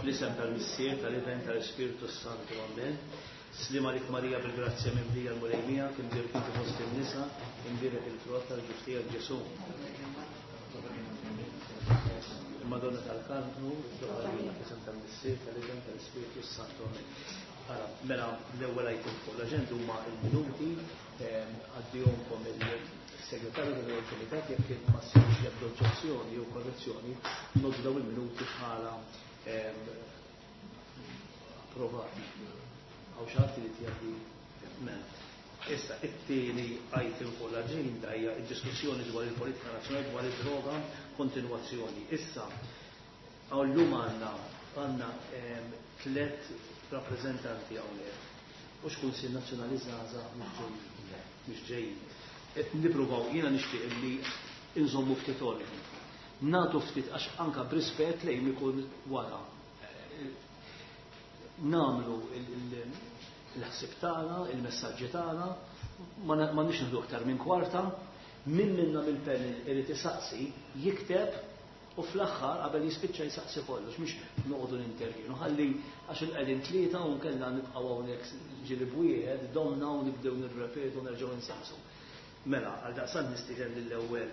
Fl-isem tal-Missier, tal-Iben, tal-Ispirtu Santu. Amen. Sliem għalik Marija bil-grazzja mimlija l-Mulej miegħek, imbierek inti fost in-nisa, imbierek il-frott tal-ġuf tiegħek Ġesù. Il-Madonna tal-Karmnu, fl-isem tal-Missier, tal-Iben, tal-Ispirtu Santu. Amen. Ara, mela l-ewwel item fuq l-aġenda huma l-minuti għaddihomkom il-segretarju tal-Kumitat jekk ma ssirx l-ebda oġġezzjoni jew korrezzjoni, ngħoddu dawn il-minuti bħala approvati. Hawn xi ħadd irid jgħaddi mela. Issa, it-tieni item fuq l-aġenda hija d-diskussjoni dwar il-politika nazzjonali dwar id-droga kontinwazzjoni. Issa, hawn llum għandna għandna tlet rappreżentanti hawnhekk. Mhux Kunsill Nazzjonali Żgħażagħ mhux ġejjin. Mhux ġejjin. Qed nippruvaw, jiena nixtieq li nżommu ftit ordni. Nagħtu ftit għax anka b'rispett lejn ikun wara. Nagħmlu il-ħsieb tagħna, il-messaġġi tagħna, ma nix nieħdu aktar minn kwarta, min minna mill-panel irid isaqsi, jikteb u fl-aħħar qabel jispiċċa jsaqsi kollox, mhux noqogħdu nintervjenu. Ħalli għax il-qegħdin tlieta u nkella nibqgħu hawnhekk ġieli b'wieħed, domna u nibdew nirrepetu nerġgħu nsaqsu. Mela, għal daqstant nistieden lill-ewwel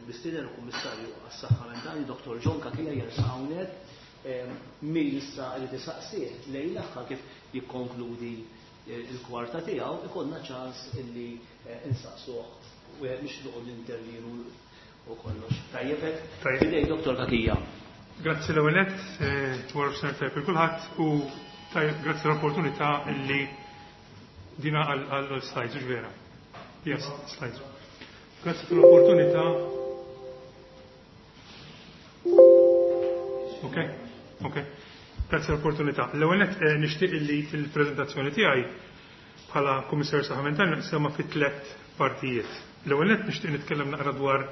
mistieden il-Kummissarju għas-Saħħa Mentali, Dr. John Cachia jersaq hawnhekk. Min issa irid isaqsih lejn l-aħħar kif jikkonkludi il-kwarta tiegħu, ikollna ċans illi insaqsuh wieħed mhux noqgħod nintervjenu u kollox. Tajjeb hekk? Tajjeb. Fidejk Dr. Cachia. Grazzi l-ewwel nett, wara f'senar tajjeb il kulħadd u tajjeb grazzi l-opportunità illi dina għal slides, hux vera? Yes, slides. Grazzi tal-opportunità. Ok, ok. Grazzi l-opportunità. L-ewwel nett nixtieq illi il-preżentazzjoni tiegħi bħala Kummissarju Saħħa Mentali naqsamha fi tliet partijiet. L-ewwel nett nixtieq nitkellem naqra dwar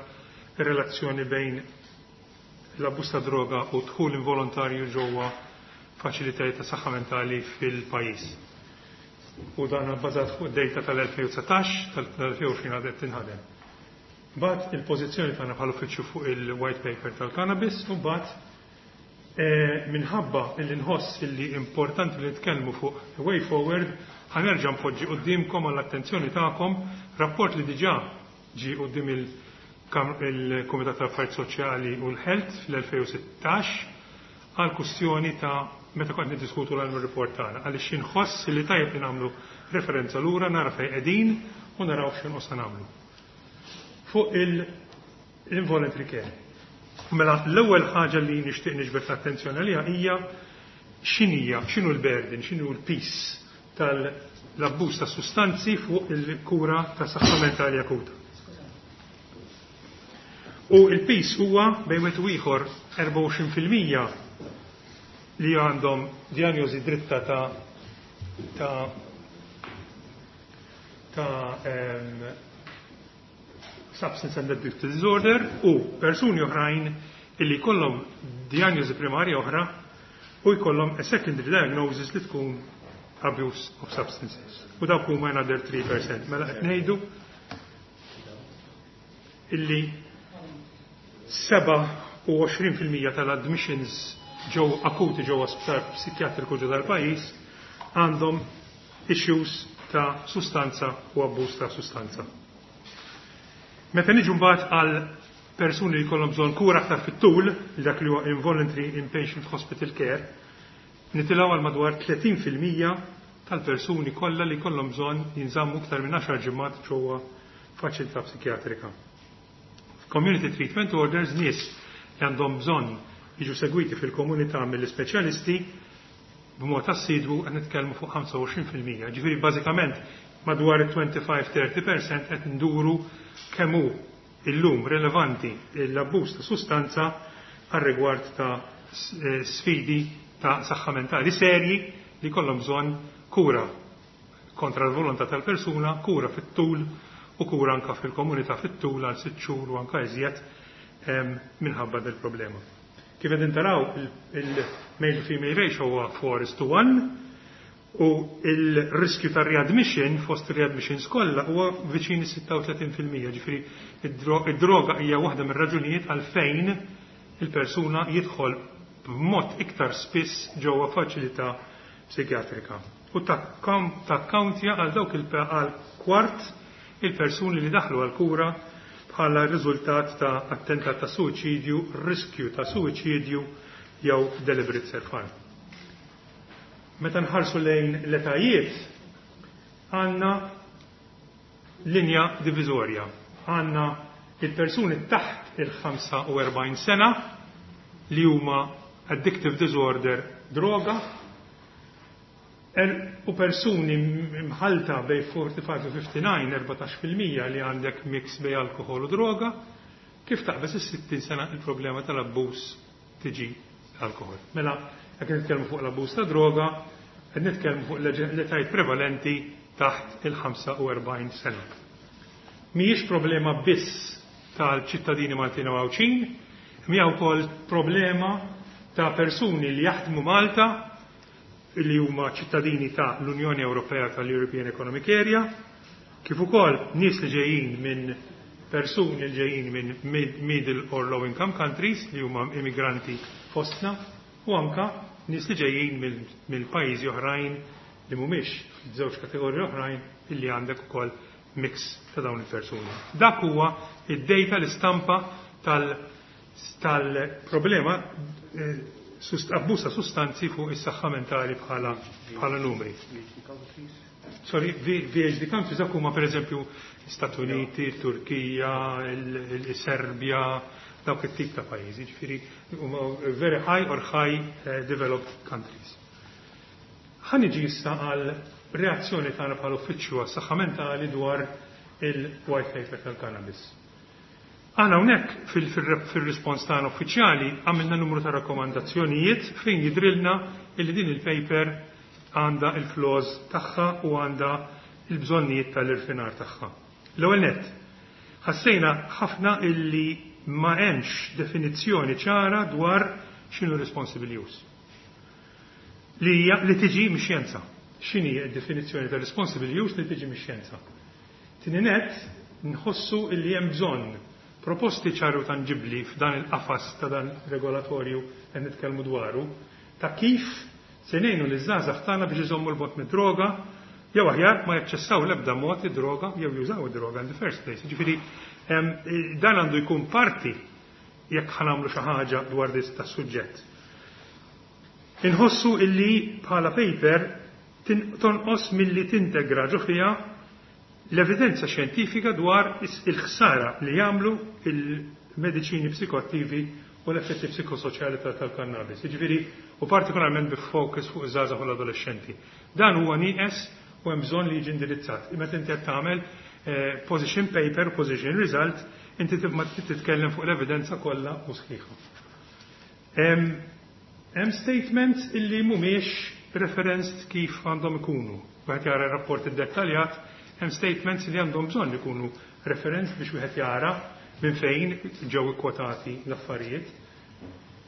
ir-relazzjoni bejn l-abbuż ta' droga u dħul involontarju ġewwa faċilitajiet ta' saħħa mentali fil-pajjiż. U dan bbażat fuq data tal-2019, tal-2020 għadha qed tinħadem. Mbagħad il-pożizzjoni tagħna bħala uffiċċju fuq il-white paper tal-cannabis u mbagħad minħabba illi nħoss illi importanti li nitkellmu fuq the way forward, ħa nerġa' npoġġi quddiemkom għall-attenzjoni tagħkom rapport li diġà ġie quddiem il-Kumitat tal-Affarijiet Soċjali u l-Health fl-2016 għal kwistjoni ta' meta kont niddiskutu l-annual report tagħna għaliex inħoss li tajjeb li nagħmlu referenza lura nara fejn qegħdin u naraw x'inqosna nagħmlu. Fuq il-involuntary care. Mela l-ewwel ħaġa li nixtieq niġbed l-attenzjoni għaliha hija x'inhija, x'inhu l-burden, x'inhu l-piż tal-abbuż ta' sustanzi fuq il-kura ta' saħħa mentali akuta. U il-piż huwa bejn wieħed u ieħor 24% li għandhom diagnosi dritta ta' ta' ta' substance and addictive disorder u persuni oħrajn illi jkollhom diagnosi primarja oħra u jkollhom a secondary diagnosis li tkun abuse of substances. U dawk huma another 3%. Mela qed ngħidu illi 27% tal-admissions ġew akuti ġewwa sptar psikjatriku ġo dal-pajjiż għandhom issues ta' sustanza u abbuż ta' sustanza. Meta niġu mbagħad għal persuni li jkollhom bżonn kura aktar fit-tul, dak li huwa involuntary inpatient hospital care, nitilgħu għal madwar 30% tal-persuni kollha li jkollhom bżonn jinżammu iktar minn 10 ġimgħat ġewwa faċilità psikjatrika. Community treatment orders nies li għandhom bżonn jiġu segwiti fil-komunità mill-ispeċjalisti b'mod assidwu qed nitkellmu fuq 25%. Ġifieri bażikament madwar 25-30% qed nduru kemm hu illum relevanti l-abbuż ta' sustanza għal rigward ta' sfidi ta' saħħa mentali serji li kollhom bżonn kura kontra l-volontà tal-persuna, kura fit-tul u kura anka fil-komunità fit-tul għal 6 xhur u anka iżjed minħabba del problema. Kif qegħdin taraw il-male to female ratio huwa 4:1 u il-riskju ta' readmission fost readmissions kollha huwa viċin 36%, ġifieri id-droga hija waħda mir-raġunijiet għalfejn il-persuna jidħol b'mod iktar spiss ġewwa faċilità psikjatrika u takkawntja għal dawk għal kwart il-persuni li daħlu għal kura bħala riżultat ta' attentat ta' suwiċidju, riskju ta' suwiċidju jew deliberate self-harm. Meta nħarsu lejn l-etajiet, għandna linja diviżorja. Għandna il-persuni taħt il-45 sena li huma addictive disorder droga u persuni mħalta bej 45 u 59, 14% li għandek mix bej alkohol u droga, kif taqbeż is-60 sena il-problema tal-abbuż tiġi alkohol. Mela, jekk nitkellmu fuq l-abbuż ta' droga, qed nitkellmu fuq l-etajiet prevalenti taħt il-45 sena. Mhijiex problema biss tal-ċittadini Maltin u Għawdxin, hija wkoll problema ta' persuni li jaħdmu Malta li huma ċittadini ta' l-Unjoni Ewropea, tal-European Economic Area, kif ukoll nies li ġejjin minn persuni li ġejjin minn middle or low income countries li huma immigranti fostna u anka nies li ġejjin mill-pajjiżi oħrajn li mhumiex f'żewġ kategoriji oħrajn, illi għandek ukoll mix ta' dawn il-persuni. Dak huwa id-data, l-istampa tal-problema abbuż ta' sustanzi fuq is-saħħa mentali bħala numri. Sorry, VHD countries, dak huma pereżempju Stati Uniti, Turkija, il-Serbja, dawk it-tip ta' pajjiżi, ġifieri huma very high or high developed countries. Ħa niġi issa għal reazzjoni tagħna bħala uffiċċju għas-saħħa mentali dwar il-white paper tal-cannabis. Aħna hawnhekk fil-rispons tagħna uffiċjali għamilna numru ta' rakkomandazzjonijiet fejn jidrilna illi din il-paper għandha il-flaws tagħha u għandha il-bżonnijiet tal-irfinar tagħha. L-ewwel nett, ħassejna ħafna illi ma hemmx definizzjoni ċara dwar x'inhu responsible use. Li hija li tiġi mix-xjenza. X'inhi d-definizzjoni ta' responsible use li tiġi mix-xjenza? Tieni nett, nħossu illi hemm bżonn proposti ċari u tanġibli f'dan il-qafas ta' dan regolatorju qed nitkellmu dwaru ta' kif se ngħinu liż-żgħażagħ tagħna biex iżommu 'l bogħod mid-droga jew aħjar ma jaċċessaw l-ebda mod id-droga jew jużaw id-droga in the first place. Ġifieri dan għandu jkun parti jekk ħa nagħmlu xi ħaġa dwar dis ta' suġġett. Inħossu illi bħala paper tonqos milli tintegra ġo fiha l-evidenza xjentifika dwar il-ħsara li jagħmlu il-mediċini psikoattivi u l-effetti psikosoċjali tal-kannabis. Jiġifieri u partikolarment bi focus fuq iż-żgħażagħ u l-adolescenti. Dan huwa nieqes u hemm bżonn li jiġi indirizzat. Meta inti qed tagħmel position paper, position result, inti tibma titkellem fuq l-evidenza kollha u sħiħa. Hemm statements illi mhumiex referenced kif għandhom ikunu. Wieħed jara rapport iddettaljat, hemm statements li għandhom bżonn ikunu referenced biex wieħed jara minn fejn ġew ikkwotati l-affarijiet.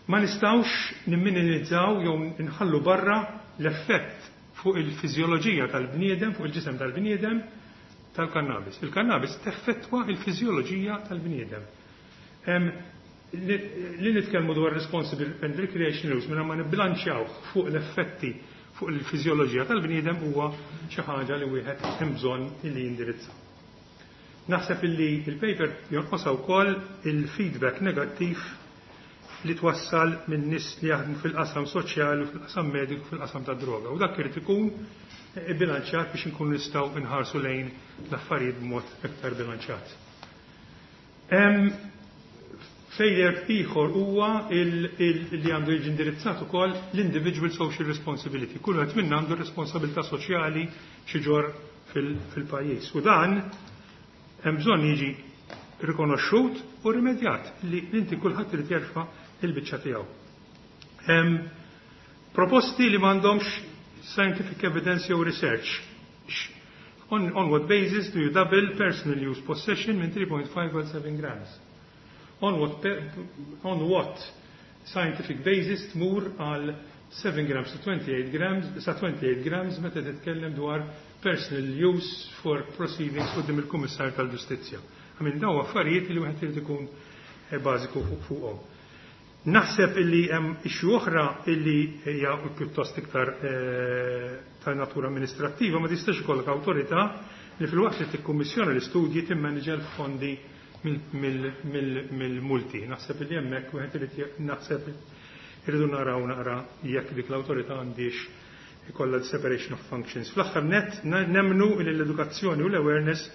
Ma nistgħux nimminimizzaw jew nħallu barra l-effett fuq il-fiżjoloġija tal-bniedem, fuq il-ġisem tal-bniedem tal-kannabis. Il-kannabis teffettwa il-fiżjoloġija tal-bniedem. Li nitkellmu dwar responsible and recreational use minn ma nibbilanċjaw fuq l-effetti fuq il-fiżjoloġija tal-bniedem huwa xi ħaġa li wieħed hemm bżonn li jindirizza. Naħseb illi il-paper jonqosha wkoll il-feedback negattiv li twassal minn nies li jaħdmu fil-qasam soċjali u fil-qasam mediku, fil-qasam ta' droga. U dak irid ikun bilanċjat biex inkunu nistgħu nħarsu lejn l-affarijiet b'mod iktar bilanċjat. Failure ieħor huwa li għandu jiġi indirizzat ukoll l-individual social responsibility. Kull wieħed minna għandu responsabilità soċjali xi jġorr fil-pajjiż. U dan hemm bżonn jiġi rikonoxxut u rimedjat li inti kulħadd irid jerfa' il-biċċa tiegħu. Hemm proposti li m'għandhomx scientific evidence jew research. On what basis do you double personal use possession minn 3.5 għal 7 grams? On what scientific basis tmur għal 7 grams to 28 grams, sa 28 grams meta titkellem dwar personal use for proceedings quddiem il-Kummissar tal-Ġustizzja? I mean, daw affarijiet li wieħed irid ikun bażiku fuqhom. Naħseb illi hemm issue oħra illi hija pjuttost iktar ta' natura amministrattiva: ma tistax ikollok awtorità li filwaqt li tikkummissjona l-istudji timmaniġa l-fondi mill-multi. Naħseb illi hemmhekk wieħed irid, naħseb irridu naraw naqra jekk dik l-awtorità għandix ikollha separation of functions. Fl-aħħar net nemmnu li l-edukazzjoni u l-awareness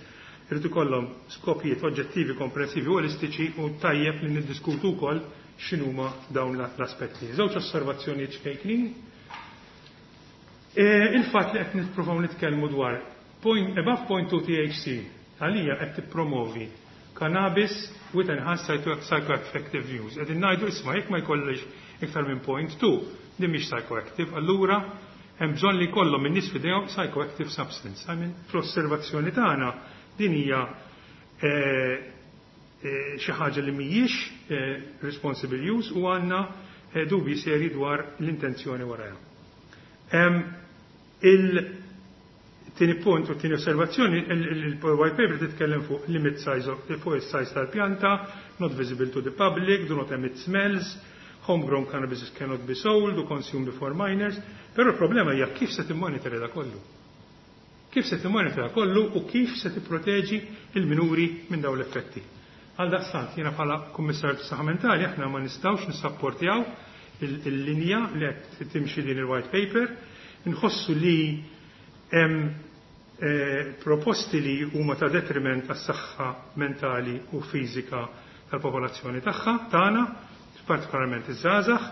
irid ikollhom skopijiet oġġettivi, komprensivi u olistiċi u tajjeb li niddiskutu wkoll x'inhuma dawn l-aspetti. Żewġ osservazzjonijiet ċkejknin. Il-fatt li qed nippruvaw nitkellmu dwar point, above 0.2 THC, għalija qed tippromovi cannabis with enhanced psychoactive use. Qegħdin ngħidu, isma', jekk ma jkollix iktar minn 0.2, din mhix psychoactive, allura hemm bżonn li jkollhom in-nies f'idejhom psychoactive substance. I mean, fl-osservazzjoni tagħna din hija xi ħaġa li mhijiex responsible use u għandna dubji seri dwar l-intenzjoni warajha. Il-tieni punt u t-tieni osservazzjoni, il-white paper titkellem fuq limit size, fuq il-size tal-pjanta, not visible to the public, do not emit smells, homegrown cannabis cannot be sold or consumed before minors, però il-problema hija kif se timmonitora da kollu. Kif se timmonitora kollu u kif se tipproteġi il-minuri minn dawn l-effetti. Għal daqstant, jiena bħala kummissarju tas-saħħa mentali, aħna ma nistgħux nissapportjaw il-linja li qed timxi din il-white paper, nħossu li hemm proposti li huma ta' detriment għas-saħħa mentali u fiżika tal-popolazzjoni tagħha tagħna, partikolarment iż-żgħażagħ.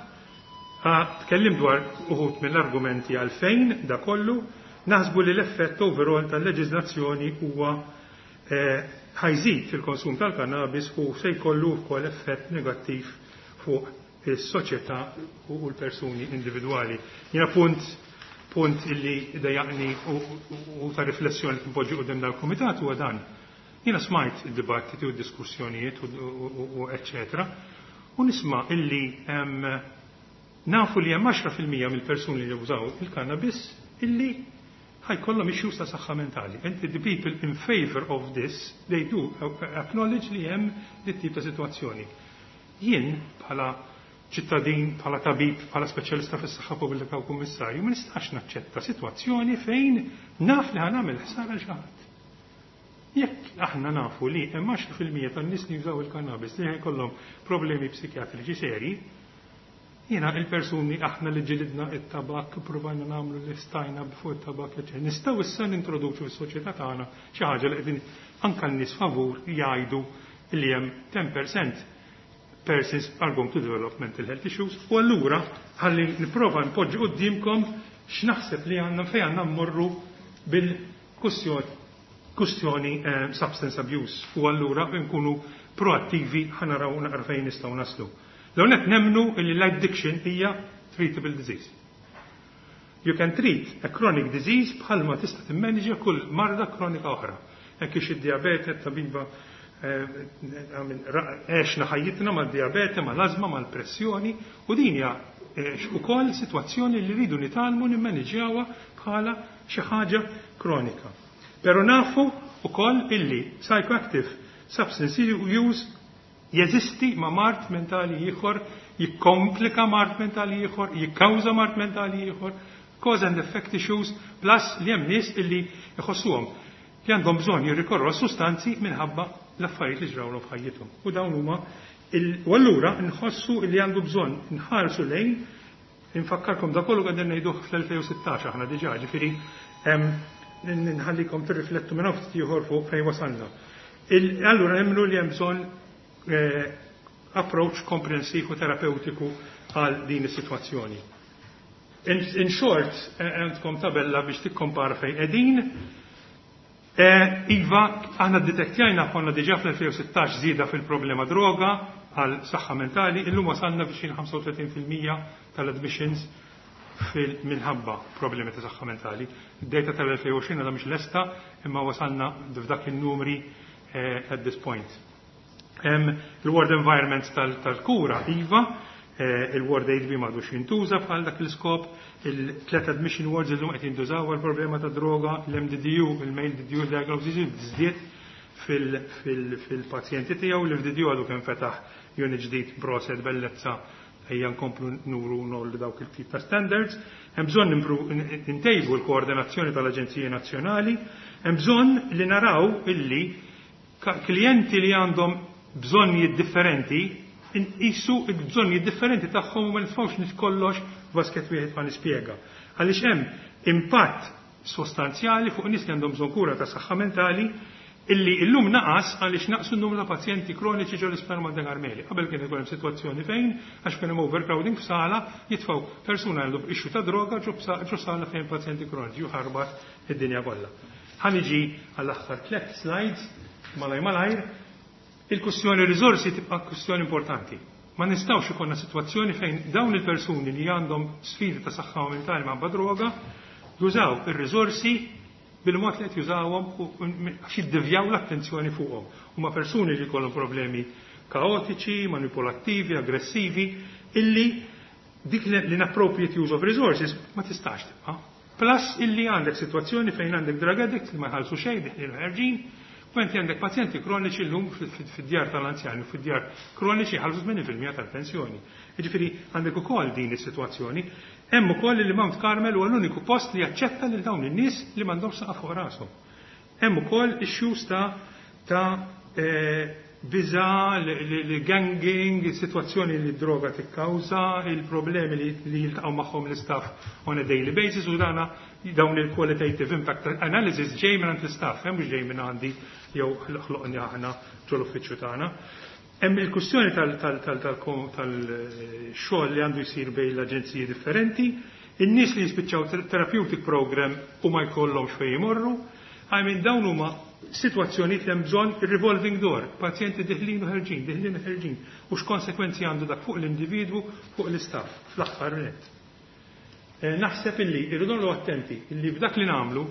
Tkellim dwar uħud mill-argumenti għalfejn da kollu, naħsbu li l-effett overall tal-leġiżlazzjoni huwa ħa jżid fil-konsum tal-kannabis u se jkollu wkoll effett negattiv fuq is-soċjetà u l-persuni individwali. Jiena punt illi dejjaqni u ta' riflessjoni li npoġġi quddiem dal-kumitat huwa dan. Jiena smajt id-dibattiti u d-diskussjonijiet u eccetera, u nisma' illi nafu li hemm 10% mill-persuni li jużaw il-cannabis illi ħa jkollhom issues ta' saħħa mentali. And the people in favor of this, they do acknowledge li hemm dit tip ta' situazzjoni. Jien bħala ċittadin, bħala tabib, bħala speċjalista fis-saħħa pubblika u kummissarju, ma nistax naċċetta sitwazzjoni fejn naf li ħa nagħmel ħsara lil xi ħadd. Jekk aħna nafu li hemm 10% tan-nies li jużaw il-kannabis li jkollhom problemi psikjatriċi seri, jiena il-persuni aħna li ġilidna it-tabak, provajna nagħmlu li stajna fuq it-tabak, eċetera. Nistgħu issa nintroduċu fis-soċjetà tagħna xi ħaġa li qegħdin anke n-nies favur jgħidu li hemm 10% persons are going to develop mental health issues. U allura ħalli nipprova npoġġi qudiemkom x'naħseb li għandna, fejn għandna mmorru bil-kustjoni kustjoni substance abuse u allura nkunu proattivi, ħa naraw naqra fejn nistgħu naslu. L-għonet nemmnu li l-addiction hija treatable disease. You can treat a chronic disease bħalma tista' timmanġa kull marda kronika oħra. Hekk ix id-diabete, tabiba, għexna ħajjitna mal-diabete, mal-azma, mal-pressjoni, u din hija ukoll sitwazzjoni li rridu nitgħallmu nimmaniġjawha bħala xi ħaġa kronika. Pero nafu ukoll illi psychoactive substance use jeżisti ma' mard mentali ieħor, jikkomplika mard mentali ieħor, jikkawża mard mentali ieħor, cause and effect issues, plus li hemm nies illi jħossuhom li għandhom bżonn jirrikorru għal sustanzi minħabba l-affarijiet li ġrawlhom f'ħajjithom. U dawn huma, u allura nħossu li għandu bżonn nħarsu lejn. Infakkarkom, da kollu qegħdin ngħiduh fl-2016 aħna diġà, ġifieri nħallikom tirriflettu minn ftit ieħor fuq fejn wasalna. Allura nemmnu li hemm bżonn approach komprensiv u terapeutiku għal din is-sitwazzjoni. In short, għandkom tabella biex tikkompara fejn qegħdin. Iva, aħna detektjajna, konna diġà fl-2016 żieda fil-problema droga għal saħħa mentali, illum wasalna biex 35% tal-admissions minħabba problemi ta' saħħa mentali. Id-data tal-2020 għadha mhix lesta, imma wasalna f'dak il-numri at this point. Il-ward environment tal-kura, iva, il-ward 8B m'għadux jintuża bħal dak l-iskop, il-tlet admission wards illum qed jintużaw għal problema ta' droga, l-MDDU, il-male DDU diagnosis żdied fil-pazjenti tiegħu, l-FDDU għadu kemm fetaħ unit ġdid, proset bellezza. Ejja nkomplu nuru ngħollu dawk il-tip ta' standards. Hemm bżonn ntejbu l-koordinazzjoni tal-Aġenziji Nazzjonali. Hemm bżonn li naraw illi klijenti li għandhom bżonnijiet differenti nqisu l-bżonnijiet differenti tagħhom u ma nitfgħux nies kollox f'basket wieħed ma nispjega. Għaliex hemm impatt sostanzjali fuq nies li għandhom bżonn kura ta' saħħa mentali illi illum naqas għaliex naqsu n-numru ta' pazjenti kroniċi ġo l-Isptar Monte Karmeli. Qabel kien ikun hemm sitwazzjoni fejn għax kien hemm overcrowding f'sala jitfgħu persuna għandu issue ta' droga ġo sala fejn pazjenti kroniċi u ħarbat id-dinja kollha. Ħa niġi għall-aħħar tliet slides malaj malajr. Il-kwistjoni riżorsi tibqa' kwistjoni importanti. Ma nistgħux ikollna sitwazzjoni fejn dawn il-persuni li għandhom sfidi ta' saħħa mentali ma' droga jużaw ir-riżorsi bil-mod li qed jużawhom għax jiddevjaw l-attenzjoni fuqhom. Huma persuni li jkollhom problemi kaotiċi, manipulattivi, aggressivi, illi dik l-inappropriate use of resources ma tistax tibqa'. Plus illi għandek sitwazzjoni fejn għandek drug addicts li ma jħallsu xejn deħlin ħerġin, u inti għandek pazjenti kroniċi llum fid-djar tal-anzjani u fid-djar kroniċi jħallsu 80% tal-pensjoni. Jiġifieri għandek ukoll din is-sitwazzjoni. Hemm ukoll li Mount Carmel huwa l-uniku post li jaċċetta lil dawn in-nies li m'għandhomx saqaf fuq rashom. Hemm ukoll issues ta' biża, li ganging, situazzjoni li droga tikkawża, il-problemi li jiltaqgħu magħhom l-istaff on a daily basis u dana dawn il-qualitative impact analysis ġej minn l-istaff, hemm mhux ġej minn għandi jew ħloqni aħna ġol-uffiċċju tagħna. Hemm il-kwistjoni tal-xogħol li għandu jsir bejn l-aġenziji differenti, in-nies li jispiċċaw therapeutic program u ma jkollhomx fejn jmorru, I mean dawn huma sitwazzjonijiet li hemm bżonn revolving door, pazjenti deħlin u ħerġin, deħlin u ħerġin, u x'konsekwenzi għandu dak fuq l-individwu, fuq l-istaff, fl-aħħar nett. Naħseb illi irridu noqogħdu attenti illi b'dak li nagħmlu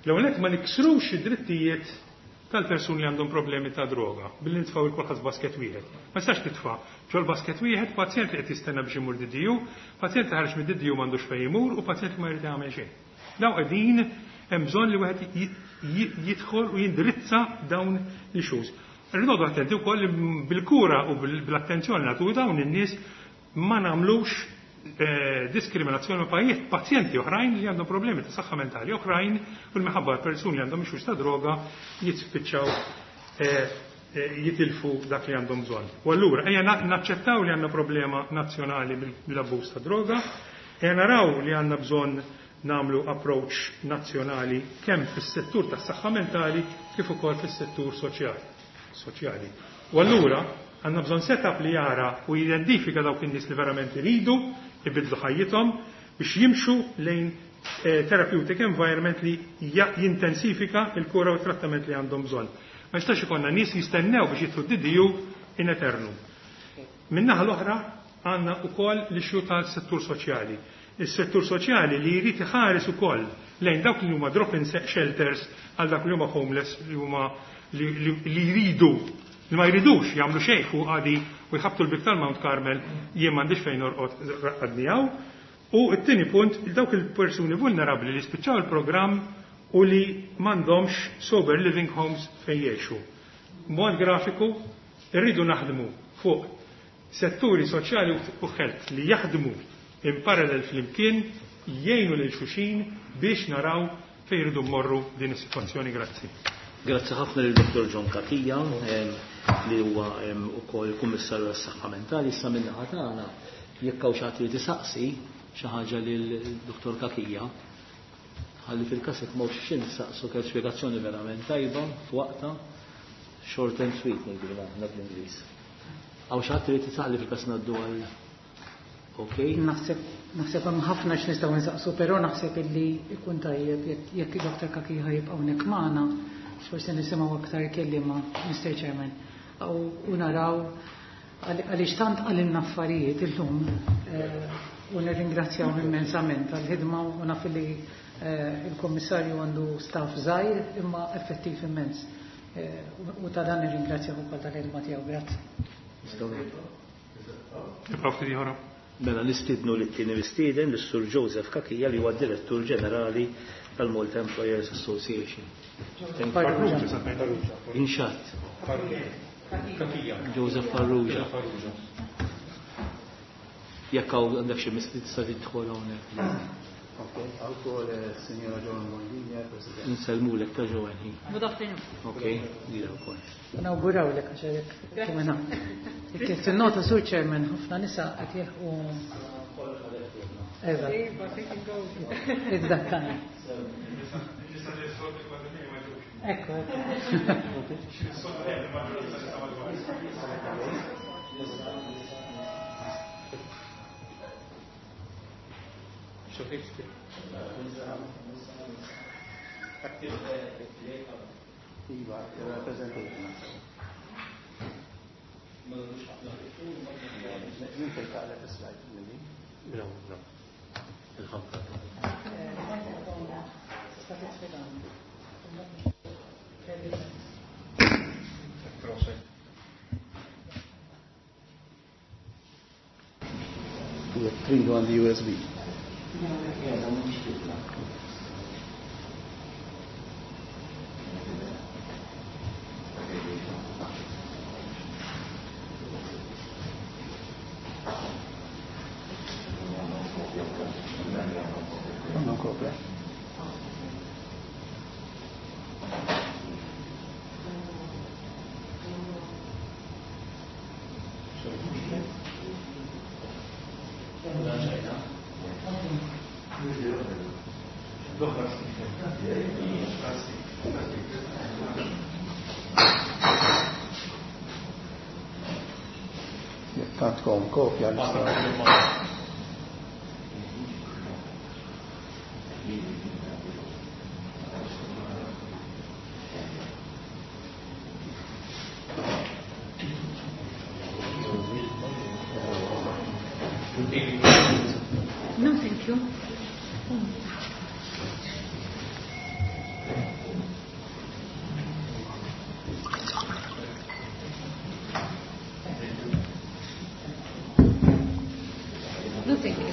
l-ewwel ma niksrux id-drittijiet tal-persuni li għandhom problemi ta' droga billi nitfgħu il kulħadd basket wieħed. Ma jistax titfa' ġol basket wieħed pazjent li qed jistenna biex imur DDU, pazjent li ħareġ mid-DDU m'għandux fejn imur u pazjent li ma jrid jagħmel xejn. Daw qegħdin hemm bżonn li wieħed jidħol u jindirizza dawn l-issues. Rridu attenti wkoll li bil-kura u bil-attenzjoni nagħtu dawn in-nies ma nagħmlux diskriminazzjoni ma' pazjenti oħrajn li għandhom problemi ta' saħħa mentali oħrajn u l-minħabba persuni li għandhom issues ta' droga jispiċċaw jitilfu dak li għandhom bżonn. U allura ejja naċċettaw li għandna problema nazzjonali bil-abbuż ta' droga, ejja naraw li għandna bżonn nagħmlu approach nazzjonali kemm fis-settur tas-saħħa mentali kif ukoll fis-settur soċjali. U allura għandna bżonn setup li jara u jidentifika dawk in-nies li verament iridu ibidlu ħajjithom biex jimxu lejn therapeutic environment li jintensifika il-kura u trattament li għandhom bżonn. Ma jistax ikollna nies jistennew biex jidħlu DDU in eternum. Min-naħa l-oħra għandna wkoll l-issue tal-settur soċjali. Is-settur soċjali li jrid iħares ukoll lejn dawk li huma drop-in shelters għal dak li huma homeless li huma li jridu li ma jridux jagħmlu xejn fuq għadi u jħabtu l-bib tal-Mount Carmel, jien m'għandix fejn norqod, raqqadni hawn. U t-tieni punt, dawk il-persuni vulnerabbli li spiċċaw il-programm u li m'għandhomx sober living homes fejn jgħixu. Mod grafiku, irridu naħdmu fuq setturi soċjali u health li jaħdmu in parallel flimkien, jgħinu lil xulxin biex naraw fejn irridu mmorru din is-sitwazzjoni. Grazzi. Grazzi ħafna lil Dr. John Cachia li huwa ukoll kummissarju għas-saħħa mentali. Issa min-naħa tagħna jekk hawn xi ħadd li tisaqsi xi ħaġa lil Dr. Cachia, ħalli fil-każ jekk m'hawnx xi nsaqsu kell spjegazzjoni verament tajba f'waqta, short and sweet ngħidu aħna bl-Ingliż. Hawn xi ħadd li tisaqli fil-każ ngħaddu għal Ok. Naħseb hemm ħafna x'nistgħu nsaqsu, però naħseb illi ikun tajjeb jekk Dr. Cachia jibqa' hawnhekk magħna, forsi nisimgħu aktar kelliema, Mr. Chairman, u naraw għaliex tant qalilna affarijiet illum u nirringrazzjaw immensament għall-ħidma u naf li il-Kummissarju għandu staff żgħir imma effettiv immens. U ta' dan nirringrazzjaw ukoll tal-ħidma tiegħu. Grazzi. Nibqgħu ftit ieħor. Mela nistidnu li t-tieni mistieden lis-Sur Joseph Cachia li huwa direttur ġenerali tal-Malta Employers Association. Farrugia. ron Jekk hawn għandek xi mistoqsijiet tista' tidħol hawnhekk. Okay, għal Signora Joan Mondinja, President. Insellmulek ta' Joan hi. Good afternoon. Okay, lila wkoll. Nawgurawlek għax hekk kemm Kif tinnota, Sur Chairman, ħafna nisa qed jilħqu. Eżatt. It's that time. Ekku, ekku. Iva, il-presentation. Min fejn taqleb is-slide minni? No, no. Il-ħamra. Tista' titfi dan. Jekk tridu għandi USB. Għandhom kopja. Jekk għandkom kopja nistgħu. No, thank you. No, thank you.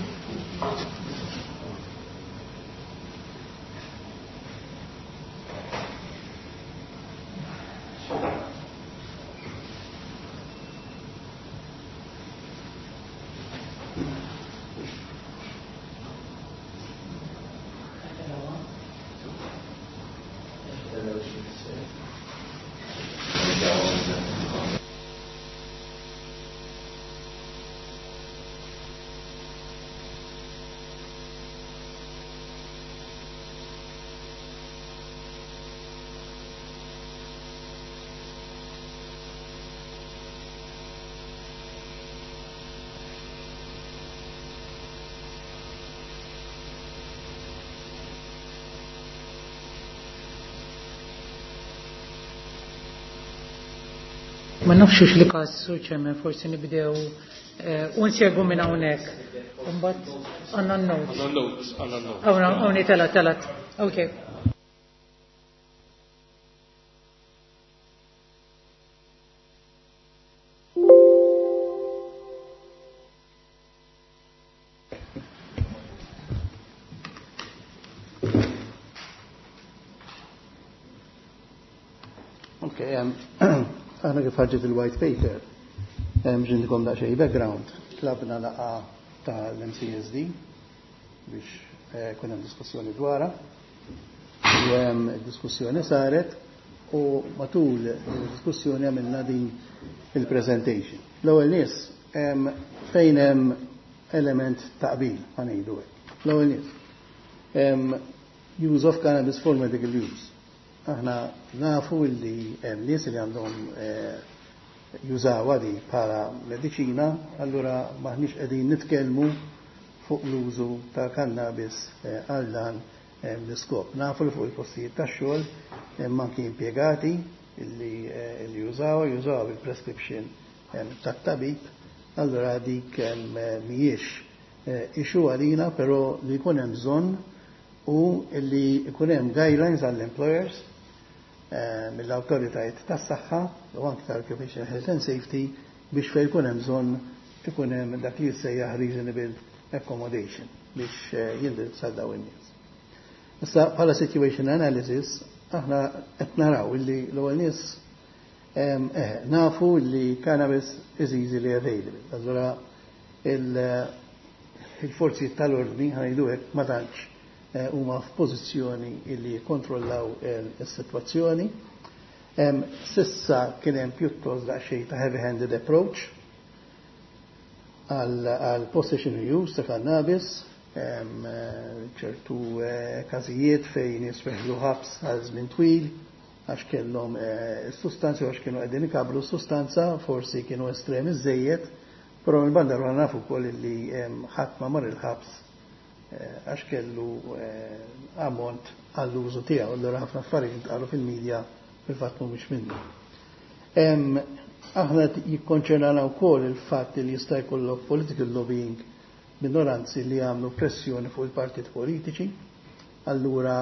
Ma nafx li każ, Sur Chairman, forsi nibdew u nsegwu minn hawnhekk. Imbagħad għandna n-notes. Għandna notes, għandna notes. Hawn hawn tela telat. Okay. Okay, aħna kif ħarġet il-white paper, ġindikom daqsxejn background, tlabna laqgħa tal-MCSD biex kun hemm diskussjoni dwarha. U diskussjoni saret u matul il-diskussjoni għamilna din il-presentation. L-ewwel nies fejn hemm element ta' qbil, ħa ngħidu hekk. L-ewwel nies use of cannabis for medical use. Aħna nafu li hemm nies li għandhom jużawha di bħala mediċina, allura maħniex qegħdin nitkellmu fuq l-użu ta' cannabis għal dan l-iskop. Nafu li fuq il-postijiet tax-xogħol hemm anki impjegati illi jużaw il-prescription tat-tabib, allura dik mhijiex issue għalina, però li jkun hemm bżonn u li jkun hemm guidelines għall-employers mill-awtoritajiet tas-saħħa u anke tal-Occupational Health and Safety biex fejn jkun hemm bżonn ikun hemm dak li jissejjaħ reasonable accommodation biex jindirizza dawn in-nies. Issa bħala situation analysis aħna qed naraw illi l-ewwel nies nafu li cannabis is easily available. Allura Il-forzi tal-ordni, ħa ngħidu hekk, ma tantx huma f'pożizzjoni illi jikkontrollaw is-sitwazzjoni. S'issa kien hemm pjuttost daqsxejn ta' heavy-handed approach għal possession use ta' cannabis, ċertu każijiet fejn nies weħlu ħabs għal żmien twil għax kellhom sustanzi, għax kienu qegħdin ikabbru sustanza, forsi kienu estremi żejjed, però mill-banda l nafu wkoll li ħadd ma mar il-ħabs għax kellu ammont għall-użu tiegħu. Allura ħafna affarijiet intqalu fil-medja fil-fatt mhumiex minnu. Aħna jikkonċernana wkoll il-fatt li jista' jkollok political lobbying, minoranzi li jagħmlu pressjoni fuq il-partit politiċi, allura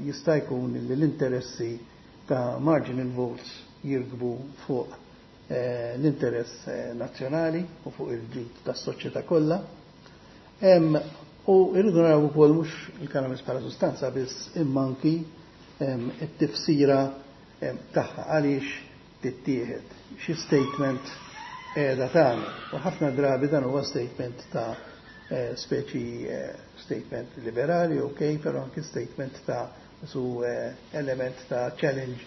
jista' jkun li l-interessi ta' marginal votes jirkbu fuq l-interess nazzjonali u fuq il-ġid tas-soċjetà kollha. U irridu naraw ukoll mhux il-cannabis bħala sustanza biss, imma anki it-tifsira tagħha, għaliex tittieħed, xi statement qiegħda tagħmel. U ħafna drabi dan huwa statement ta' speċi statement liberali, ok, però anki statement ta' su element ta' challenge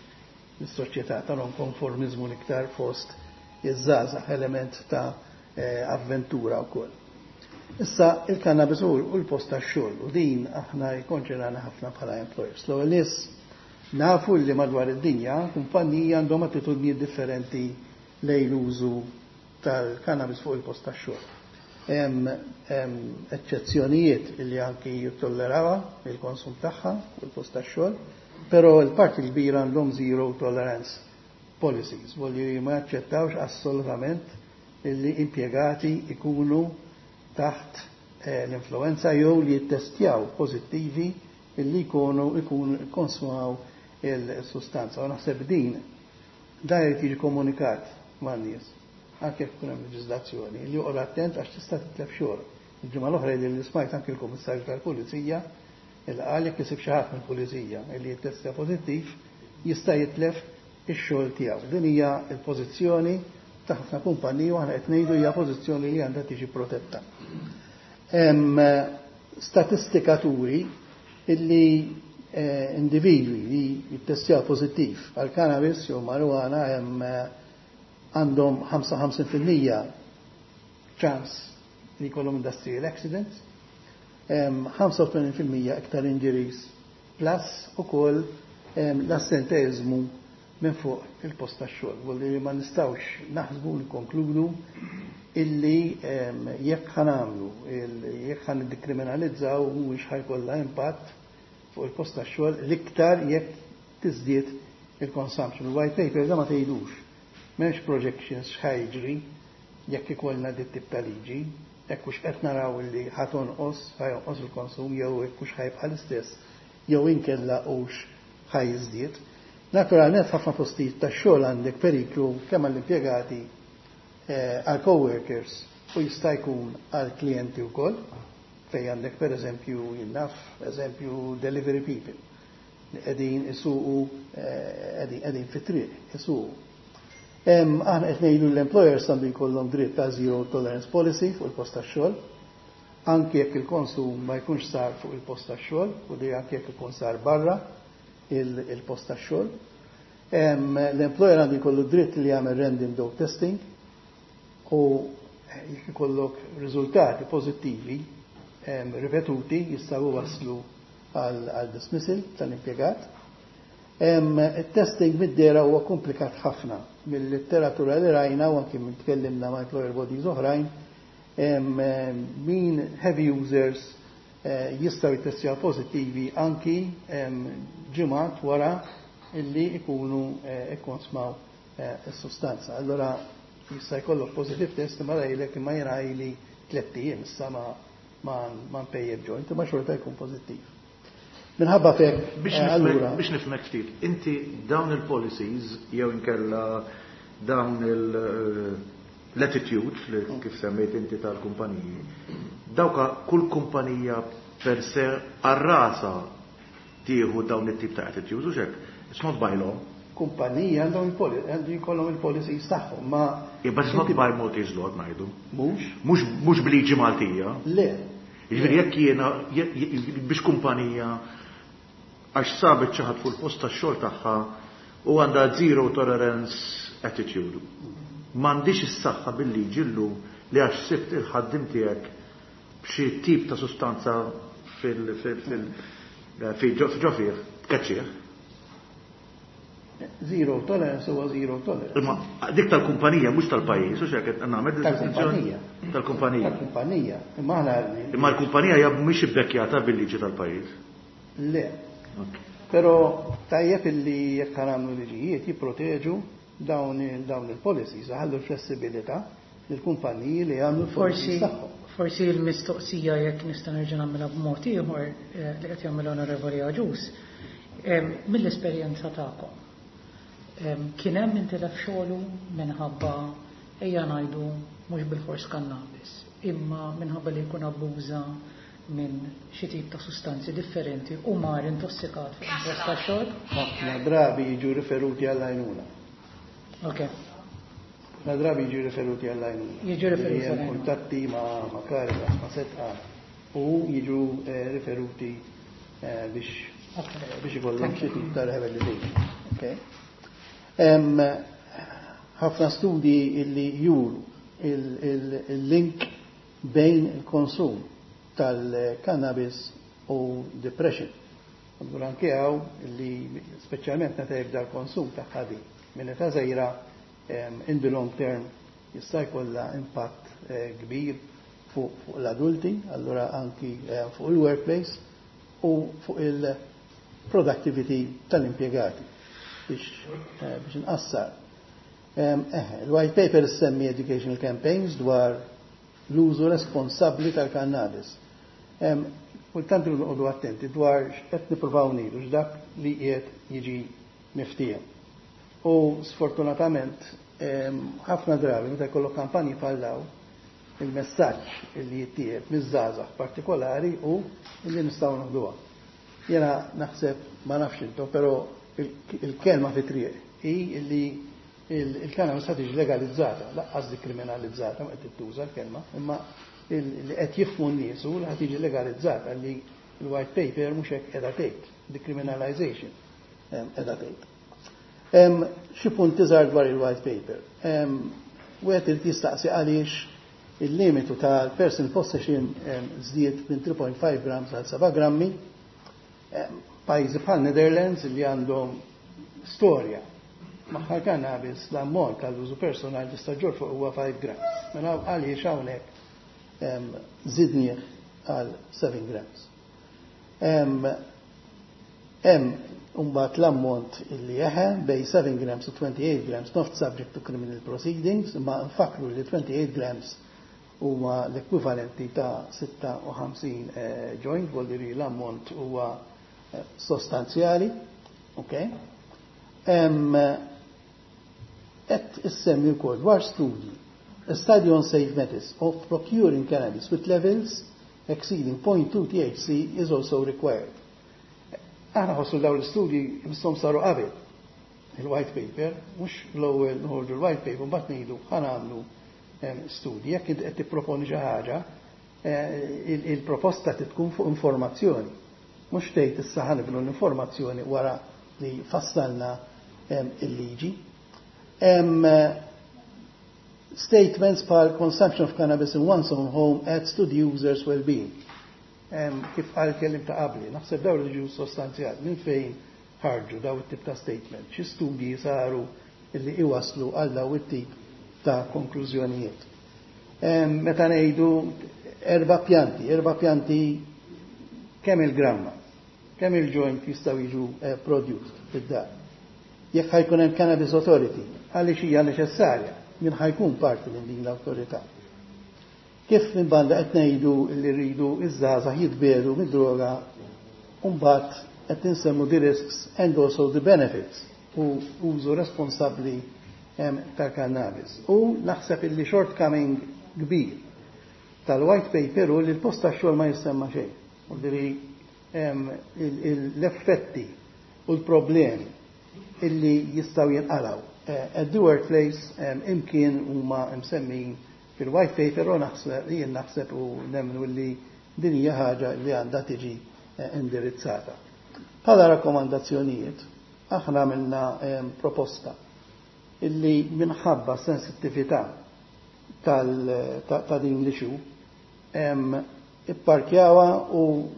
lis-soċjetà, ta' non-konformizmu l-iktar fost iż-żgħażagħ, element ta' avventura wkoll. Issa il-cannabis u l-post tax-xogħol, u din aħna jikkonċernana ħafna bħala employers. L-ewwel nies nafu li madwar id-dinja kumpaniji għandhom attitudnijiet differenti lejn l-użu tal-cannabis fuq il-post tax-xogħol. Hemm eċċezzjonijiet li anki jittollerawha il-konsum tagħha fuq il-post tax-xogħol, però l-parti kbira għandhom zero tolerance policies, voglio ma jaċċettawx assolutament li impjegati ikunu taħt l-influenza jew li jittestjaw pożittivi illi jkunu konsumaw il-sustanza. U naħseb din da jrid jiġi komunikat man-nies, anke jekk ikun hemm leġiżlazzjoni, li joqgħod attent għax tista' titlef xogħol. Il-ġimgħa l-oħra li smajt anke l-Kummissarju tal-Pulizija il qal jekk isib xi ħadd mill-Pulizija li jittestja pożittiv jista' jitlef ix-xogħol tiegħu. Din hija l-pożizzjoni ta' ħafna kumpaniji u aħna qed ngħidu hija pożizzjoni li għandha tiġi protetta. Hemm statistika turi illi individwi li jittestjaw pożittiv għal cannabis jew marijuana hemm għandhom 55% ċans li jkollhom industrial accidents, 85% iktar injuries, plus ukoll l-assenteizmu minn fuq il-post tax-xogħol. Volli li ma nistgħux naħsbu nkonkludu illi jekk ħa nagħmlu, jekk ħa niddikriminalizzaw, mhuwiex ħa jkollha impatt fuq il-post tax-xogħol, l-iktar jekk tiżdied il-consumption. Il-white paper da ma tgħidux. M'hemmx projections x'ħa jiġri jekk ikollna dit tip ta' liġi, jekk hux qed naraw li ħa tonqos, ħa jonqos il-konsum jew jekk hux ħa jibqa' l-istess jew inkella hux ħa jiżdied. Naturalment ħafna postijiet tax-xogħol għandek periklu kemm għall-impjegati, għal coworkers u jista' jkun għal klijenti wkoll, fej għandek per eżempju, jien naf, eżempju, delivery people li qegħdin isuqu, qegħdin fit-triq isuqu. Aħna qed ngħidu l-employers għandu jkollhom dritt ta' zero tolerance policy fuq il-post tax-xogħol, anke jekk il-konsum ma jkunx sar fuq il-post tax-xogħol u di anke jekk ikun sar barra il-post tax-xogħol. L-employer għandu jkollu dritt li jagħmel random dope testing u jekk ikollok riżultati pożittivi ripetuti jistgħu waslu għal dismissal tal-impjegat. Il-testing mid-dera huwa komplikat ħafna mill-letteratura li rajna u anki minn tkellimna ma' employer bodies oħrajn, min heavy users jistgħu jittestjaw pożittivi anki ġimgħat wara illi ikunu ikkonsmaw is-sustanza. Allora jista' jkollok positive test ma rajlek imma jiena ili 3 ijiem issa ma npejjeb joint, imma xorta jkun pożittiv. Minħabba fek, Biex allura. Biex nifhmek ftit, inti dawn il-policies jew inkella dawn l-attitude li kif semmejt inti tal-kumpaniji, dawka kull kumpanija per se għal rasha tieħu dawn it-tip ta' attitudes u xek, it's not by law. Kumpaniji għandhom għandu jkollhom il-policies tagħhom, ma Yeah, but it's not by Maltese law ngħidu. Mhux? Mhux b'liġi Maltija. Le. Jiġifieri jekk jiena biex kumpanija għax sabet xi ħadd fuq il-post tax-xogħol tagħha u għandha zero tolerance attitude. M'għandix is-saħħa bil-liġi llum li għax sibt il-ħaddim tiegħek b'xi tip ta' sustanza fil fil fil ġo fih tkeċċih. Zero tolerance huwa zero tolerance. Imma dik tal-kumpanija mhux tal-pajjiż, u x'hekk qed nagħmel Tal-kumpanija. Tal-kumpanija. Tal-kumpanija. Imma aħna Imma l-kumpanija hija mhix ibbekkjata bil-liġi tal-pajjiż. Le. Però tajjeb illi jekk nagħmlu liġijiet jipproteġu dawn il-policies, ħallu l-flessibilità lill-kumpaniji li jagħmlu Forsi l-policies tagħhom. Forsi l-mistoqsija, jekk nista' nerġa' nagħmilha b'mod ieħor li qed jagħmel Onorevoli Agius, mill-esperjenza tagħkom, kien hemm intilef xogħlu minħabba, ejja ngħidu, mhux bilfors kannabis, imma minħabba li jkun abbuża minn xi tip ta' sustanzi differenti u mar intossikat fuq il-post tax-xogħol? Ħafna drabi jiġu riferuti għall-għajnuna. Ħafna drabi jiġu riferuti għall-għajnuna. Jiġu riferuti Hemm għall-għajnuna. kuntatti ma' Caritas, ma' Sedqa u jiġu riferuti biex ikollhom xi tip ta' rehabilitation. Okay. Ħafna studji illi juru il-link bejn il-konsum tal-cannabis u depression. Allura anke hawn li speċjalment meta jibda l-konsum ta' ħadi minn età żgħira, in the long term jista' jkollha impatt kbir fuq l-adulti, allura anki fuq il-workplace u fuq il-productivity tal-impjegati biex nqassar. Il-white paper semmi educational campaigns dwar l-użu responsabbli tal-cannabis. Kultant noqogħdu attenti dwar x'qed nippruvaw ngħidu, x'dak li qiegħed jiġi miftiehem. U sfortunatament ħafna drabi meta jkollok kampanji bħal dawn, il-messaġġ li jittieħed miż-żgħażagħ partikolari u li nistgħu noħduha. Jiena naħseb, ma nafx intom, però il-kelma fi triq hi li il-cannabis ħad tiġi legalizzata, lanqas dikriminalizzata, ma qed tittuża l-kelma, imma li qed jifhmu n-nies u li ħad tiġi legalizzata, li l-white paper mhux hekk qiegħda tgħid, decriminalization qiegħda tgħid. Xi punti żgħar dwar il-white paper. Wieħed irid jistaqsi għaliex il-limitu tal-personal possession żdied minn 3.5 grams għal 7 grammi. Pajjiżi bħal Netherlands li għandhom storja magħha cannabis, l-ammont tal-użu personali tista' ġġorr fuq huwa 5 grams. Mela għaliex hawnhekk żidnieh għal 7 grams? Hemm mbagħad l-ammont illi jeħe bejn 7 grams u 28 grams not subject to criminal proceedings, imma nfakru li 28 grams huma l-ekwivalenti ta' 56 joint, vuol dire l-ammont huwa sostanzjali. Okay? Et issemmi wkoll dwar studji. A study on safe methods of procuring cannabis with levels exceeding 0.2 THC is also required. Aħna ħossu dawn l-istudji misshom saru qabel il-white paper, mhux l-ewwel noħorġu l-white paper mbagħad ngħidu ħa nagħmlu studji. Jekk inti qed tipproponi xi ħaġa, il-proposta tkun fuq informazzjoni. Mhux tgħid issa ħa nibnu l-informazzjoni wara li fassalna il-liġi. Statements bħal "consumption of cannabis in one's own home adds to the user's well-being". Kif qal kelliem ta' qabli, naħseb dawn li ġew sostanzjali, minn fejn ħarġu daw it-tip ta' statement, xi studji saru illi iwaslu għal daw it-tip ta' konklużjonijiet? Meta ngħidu erba' pjanti, 4 pjanti kemm il-gramma, kemm il-joint jistgħu jiġu produced fid-dar? Jekk ħa jkun hemm Cannabis Authority, għaliex hija neċessarja, min ħa jkun parti minn din l-awtorità? Kif minn banda qed ngħidu li rridu iż-żgħażagħ jitbiegħdu mid-droga, u mbagħad qed insemmu the risks and also the benefits u użu responsabbli tal-cannabis? U naħseb illi shortcoming kbir tal-white paper u li l-post tax-xogħol ma jissemma xejn. U diri l-effetti u l-problemi. illi jistgħu jinqalgħu. At the workplace imkien huma msemmin fil-white paper u naħseb jien naħseb u nemmnu li din hija ħaġa li għandha tiġi indirizzata. Bħala rakkomandazzjonijiet, aħna għamilna proposta illi minħabba sensittività ta' din l-issue ipparkjawha u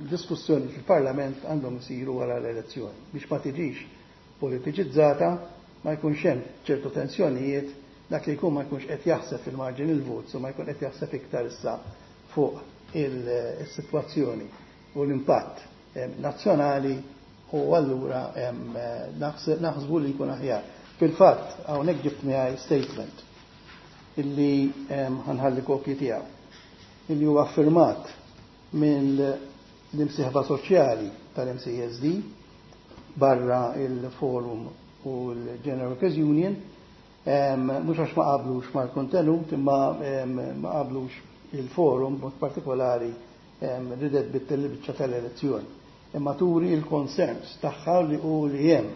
diskussjoni fil-Parlament għandhom isiru wara l-elezzjoni biex ma tiġix politiċizzata, ma jkunx hemm ċertu tensjonijiet, dak li jkun ma jkunx qed jaħseb fil-margin il-votes u ma jkun qed jaħseb iktar issa fuq il-sitwazzjoni u l-impatt nazzjonali u allura naħsbu li jkun aħjar. Fil-fatt, hawnhekk ġibt miegħi statement illi ħa nħalli kopji tiegħu illi huwa affirmat minn l-imsieħba soċjali tal-MCESD barra il-Forum u l-General Workers Union, mhux għax ma qablux mal-kontenut, imma ma qablux il-Forum mod partikolari ridet bit-biċċa tal-elezzjoni. Imma turi il-concerns tagħha li u li hemm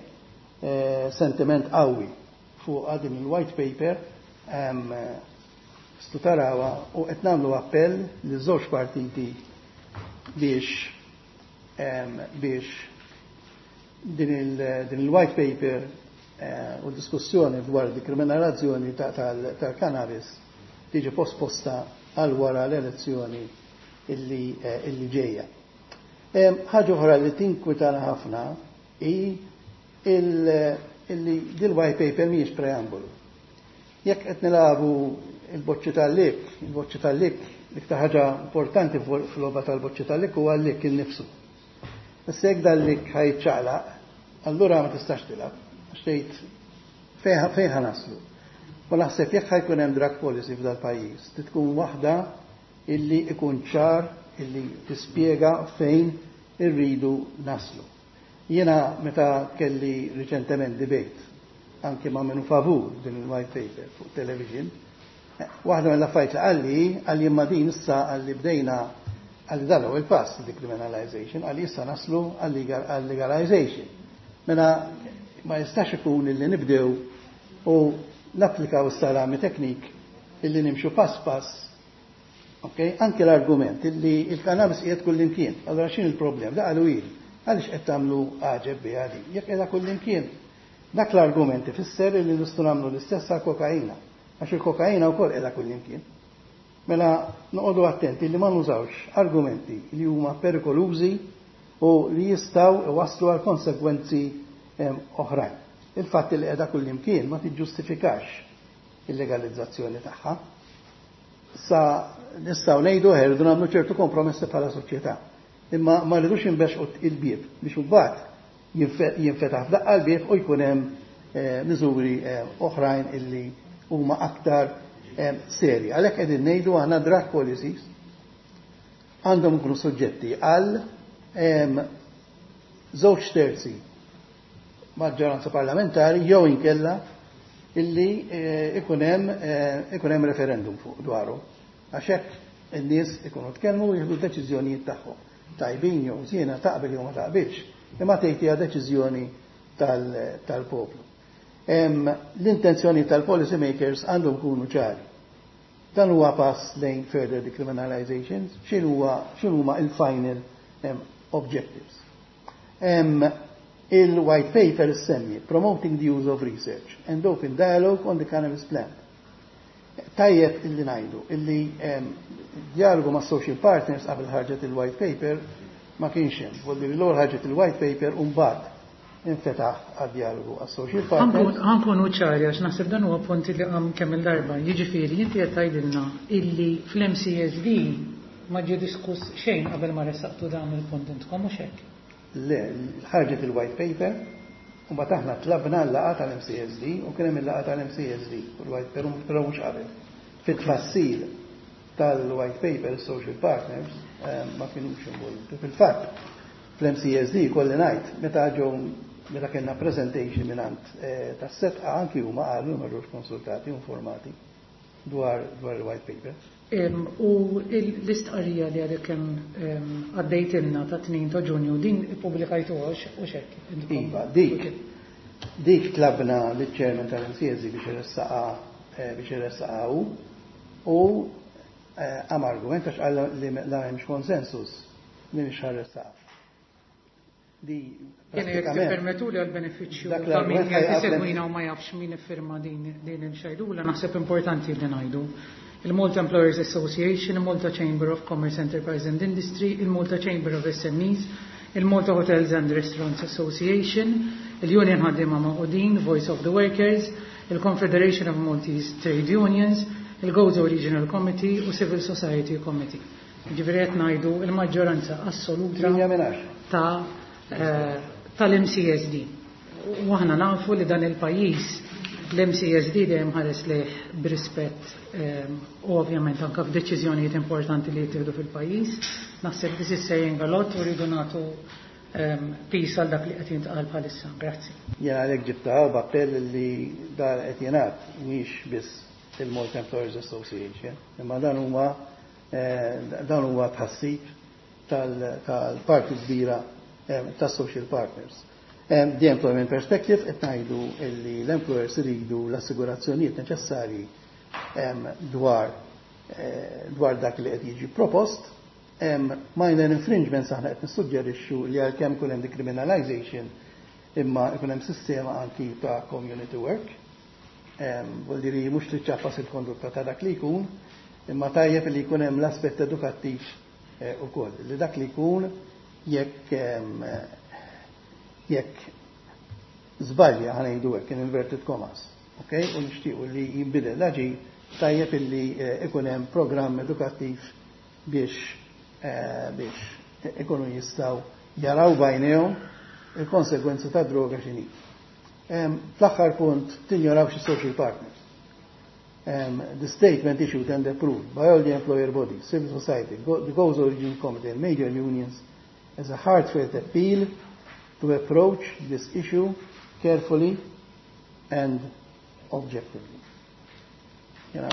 sentiment qawwi fuq din il-white paper tistgħu tarawha u qed nagħmlu appell li żewġ partiti biex din il-white paper u diskussjoni dwar dekriminalizzazzjoni tal-cannabis tiġi posposta għal wara l-elezzjoni illi ġejja. Ħaġa oħra li tinkwitana ħafna hi illi dil-white paper mhijiex preambolu. Jekk qed nilagħbu il-boċċi tal-lik, il-boċċi tal-lik, l-iktar ħaġa importanti fil-logħba tal-boċċi tal-lik huwa l-lik innifsu. Issa jekk dal-lik ħa jiċċaqlaq, allura ma tistax tilgħab. Għax tgħid fejn ħa naslu. U naħseb jekk ħa jkun hemm drug policy f'dal-pajjiż, tkun waħda illi ikun ċar illi tispjega fejn irridu naslu. Jiena meta kelli riċentement debate anke ma' minnu favur din il-white paper fuq television, waħda mill-affarijiet li qalli imma din issa qalli bdejna qalli dan huwa il-pass decriminalization, qalli issa naslu għal-legalization. Mela ma jistax ikun illi nibdew u napplikaw is-salami technique illi nimxu pass pass. Okay? Anke l-argument illi il-cannabis qiegħed kullimkien. Allora x'in il-problem? Da qalu ili. Għaliex qed tagħmlu għaġeb biha din? Jekk qiegħda kullimkien. Dak l-argument ifisser illi nistgħu nagħmlu l-istess għal kokaina. Għax il-kokaina wkoll qiegħda kullimkien. Mela noqogħdu attenti li ma nużawx argumenti li huma perikolużi u li jistgħu iwasslu għal konsegwenzi oħrajn. Il-fatt li qiegħda kullimkien ma tiġġustifikax il-legalizzazzjoni tagħha. Sa nistgħu ngħidu rridu nagħmlu ċertu kompromessi bħala soċjetà. Imma ma rridux inbexqu il-bieb biex imbagħad jinfetaħ f'daqqa l-bieb u jkun hemm miżuri oħrajn illi huma aktar serji. Għalhekk qegħdin ngħidu aħna drug policies għandhom ikunu suġġetti għal 2/3 maġġoranza parlamentari jew inkella illi ikun hemm referendum fuq dwaru. Għax hekk in-nies ikunu tkellmu u jieħdu deċiżjonijiet tagħhom. Tajbin jew żiena, taqbel jew ma taqbilx, imma tgħid hija deċiżjoni tal-poplu. L-intenzjoni tal-policy makers għandhom ikunu ċari. Dan huwa pass lejn further decriminalizations, x'inhuma il-final objectives. Il-white paper semmi promoting the use of research and open dialogue on the cannabis plant. Tajjeb illi ngħidu illi dialogu ma' social partners qabel ħarġet il-white paper ma kienx hemm. Volli l-ewwel ħarġet il-white paper u mbagħad infetaħ għad-dialogu għas social partners. Ħa nkunu ċari għax naħseb dan huwa punt li qam kemm il-darba. Jiġifieri inti qed tgħidilna illi fl-MCESD ma ġie diskuss xejn qabel ma ressaqtu dan il-punt intkom, mhux hekk? Le, ħarġet il-white paper u mbagħad aħna tlabna l-laqgħa tal-MCESD u kien hemm il-laqgħa tal-MCESD u l-white paper, però mhux qabel. Fit-tfassil tal-white paper social partners ma kienux involuti. Fil-fatt, fl-MCESD kolli ngħid meta kellna presentation mingħand tas-Sedqa, anki huma qalu ma ġewx konsultati u informati dwar il-white paper. U l-istqarrija li għadek kemm għaddejtilna ta' 2 ta' Ġunju, din ippubblikajtuha u hekk? Iva, dik. Dik tlabna liċ-chairman tal-MCSD biex iressaqha biex iressaqha hu u qam argument għax qal li la hemmx konsensus li mhix ħa ressaqha. Di Jiena jekk tippermettuli għall-benefiċċju ta' min qiegħed isegwina u ma jafx min iffirma din din il-xajdula, naħseb importanti li ngħidu. Il-Malta Employers Association, il-Malta Chamber of Commerce, Enterprise and Industry, il-Malta Chamber of SMEs, il-Malta Hotels and Restaurants Association, il-Union Ħaddiema Magħqudin, Voice of the Workers, il-Confederation of Maltese Trade Unions, il-Gozo Regional Committee u Civil Society Committee. Ġifieri qed ngħidu il-maġġoranza assoluta 8 minn 10. ta' tal-MCSD. U aħna nafu li dan il-pajjiż l-MCSD dejjem ħares lejh b'rispett u ovvjament anke f'deċiżjonijiet importanti li jittieħdu fil-pajjiż. Naħseb this is saying a lot u rridu nagħtu piż għal dak li qed jintqal bħalissa. Grazzi. Jien għalhekk ġibtha b'appell li dan qed jingħad mhix biss il-Malta Employers Association, imma dan huwa dan huwa tħassib tal-parti kbira tas-social partners. The employment perspective qed ngħidu li l-employers iridu l-assigurazzjonijiet neċessarji dwar dwar dak li qed jiġi propost. Minor infringements aħna qed nissuġġerixxu li għalkemm ikun hemm decriminalization imma ikun hemm sistema anki ta' community work. Vuol dire mhux tiċċappas il-kondotta ta' dak li jkun, imma tajjeb li jkun hemm l-aspett edukattiv ukoll. Li dak li jkun jekk jekk żbalja ħa ngħidu hekk in inverted commas, okay? U nixtiequ li jinbidel l-aġir tajjeb illi ikun hemm programm edukattiv biex biex ikunu jistgħu jaraw b'għajnejhom il-konsegwenzi ta' droga x'inhi. Fl-aħħar punt tinjorawx social partners. The statement issued and approved by all the employer bodies, civil society, the Gozo Regional Committee and major unions as a heartfelt appeal to approach this issue carefully and objectively. Jena,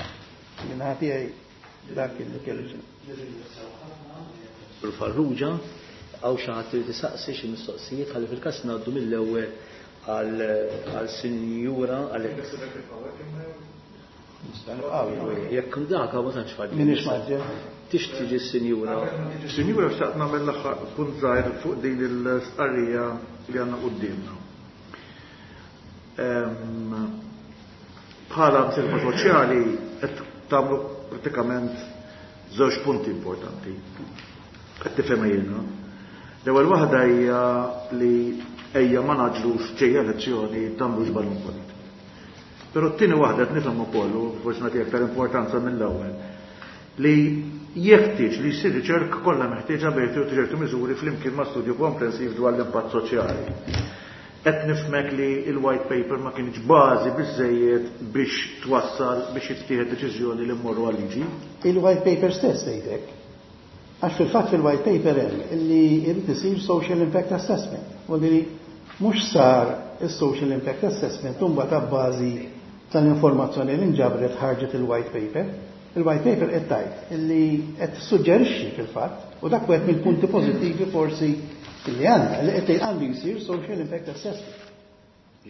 jena ħati dak li kelli. Farrugia, hawn xi ħadd li tisaqsi xi mistoqsijiet ħalli fil-każ ngħaddu mill-ewwel għal sinjura għal Jekk dak ma tantx faġġi. Minix maġġel. Tixtiġi s-sinjura. Sinjura xtaqt nagħmel l-aħħar punt żgħir fuq din il-stqarrija li għandna quddiemna. Bħala msieħba soċjali qed tagħmlu pratikament żewġ punti importanti. Qed tifhem jiena. L-ewwel waħda hija li ejja ma naġlux ġejja elezzjoni tagħmlux balun politiku. Però t-tieni waħda qed nifhem ukoll u forsi nagħti aktar importanza mill-ewwel li jeħtieġ li jsir riċerka kollha meħtieġa bejn ċertu miżuri flimkien ma' studju komprensiv dwar l-impatt soċjali. Qed nifhmek li l-white paper ma kienx bażi biżejjed biex twassal biex jittieħed deċiżjoni li mmorru għal-liġi. Il-white paper stess tgħidlek. Għax fil-fatt fil-white paper hemm illi jrid isir social impact assessment. Vuol dire mhux sar is-social impact assessment u mbagħad abbażi tal-informazzjoni li nġabret ħarġet il-white paper. Il-white paper qed tgħid illi qed tissuġġerixxi fil-fatt u dak wieħed mill-punti pożittivi forsi illi għandna li qed għandu jsir social impact assessment.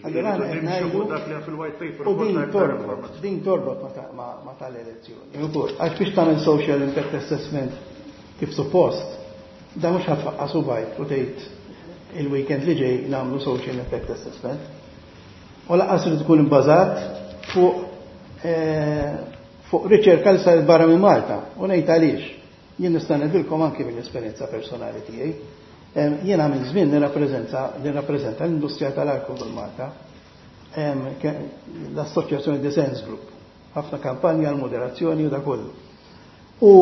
Allora aħna qed ngħidu dak li fil-white paper u din torbot, din torbot ma tal-elezzjoni. Ukoll, għax biex tagħmel social impact assessment kif suppost, da mhux ħa tfaqqas u bajt u tgħid il-weekend li ġej nagħmlu social impact assessment. U lanqas li tkun ibbażat fuq fuq riċerka li saret barra minn Malta. U ngħid għaliex. Jien nista' ngħidilkom anke mill-esperjenza personali tiegħi. Jiena minn żmien nirrappreżenta l-industrija tal-alkohol Malta, l-Assoċjazzjoni The Sense Group, ħafna kampanja għal moderazzjoni u da kollu. U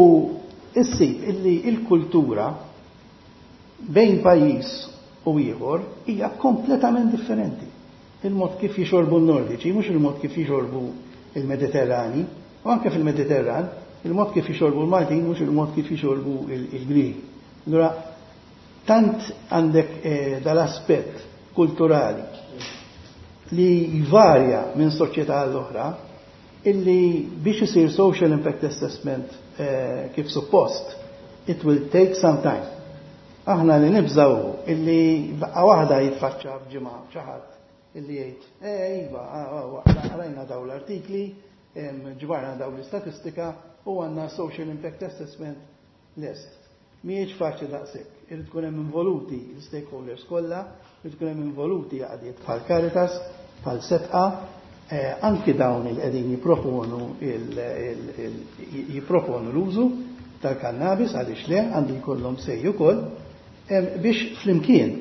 issib illi il-kultura bejn pajjiż u ieħor hija kompletament differenti. Il-mod kif jixorbu n-Nordiċi, mhux il-mod kif jixorbu il-Mediterrani, u anke fil-Mediterran, il-mod kif jixorbu l-Maltin, mhux il-mod kif jixorbu il-Grieg. Allura, tant għandek dal-aspett kulturali li jvarja minn soċjetà għall-oħra, illi biex isir social impact assessment kif suppost, it will take some time. Aħna li nibżaw illi baqqa waħda jitfaċċa f'ġimgħa xi ħadd illi jgħid, eh iva, rajna daw l-artikli, ġbarna daw l-istatistika u għandna social impact assessment lest. Mhijiex faċli daqshekk. Irid tkun hemm involuti l-stakeholders kollha, irid tkun hemm involuti għaqdiet bħal Caritas, bħal Setqa, anki dawn il qegħdin jipproponu l-użu tal-kannabis għaliex le għandu jkollhom say ukoll biex flimkien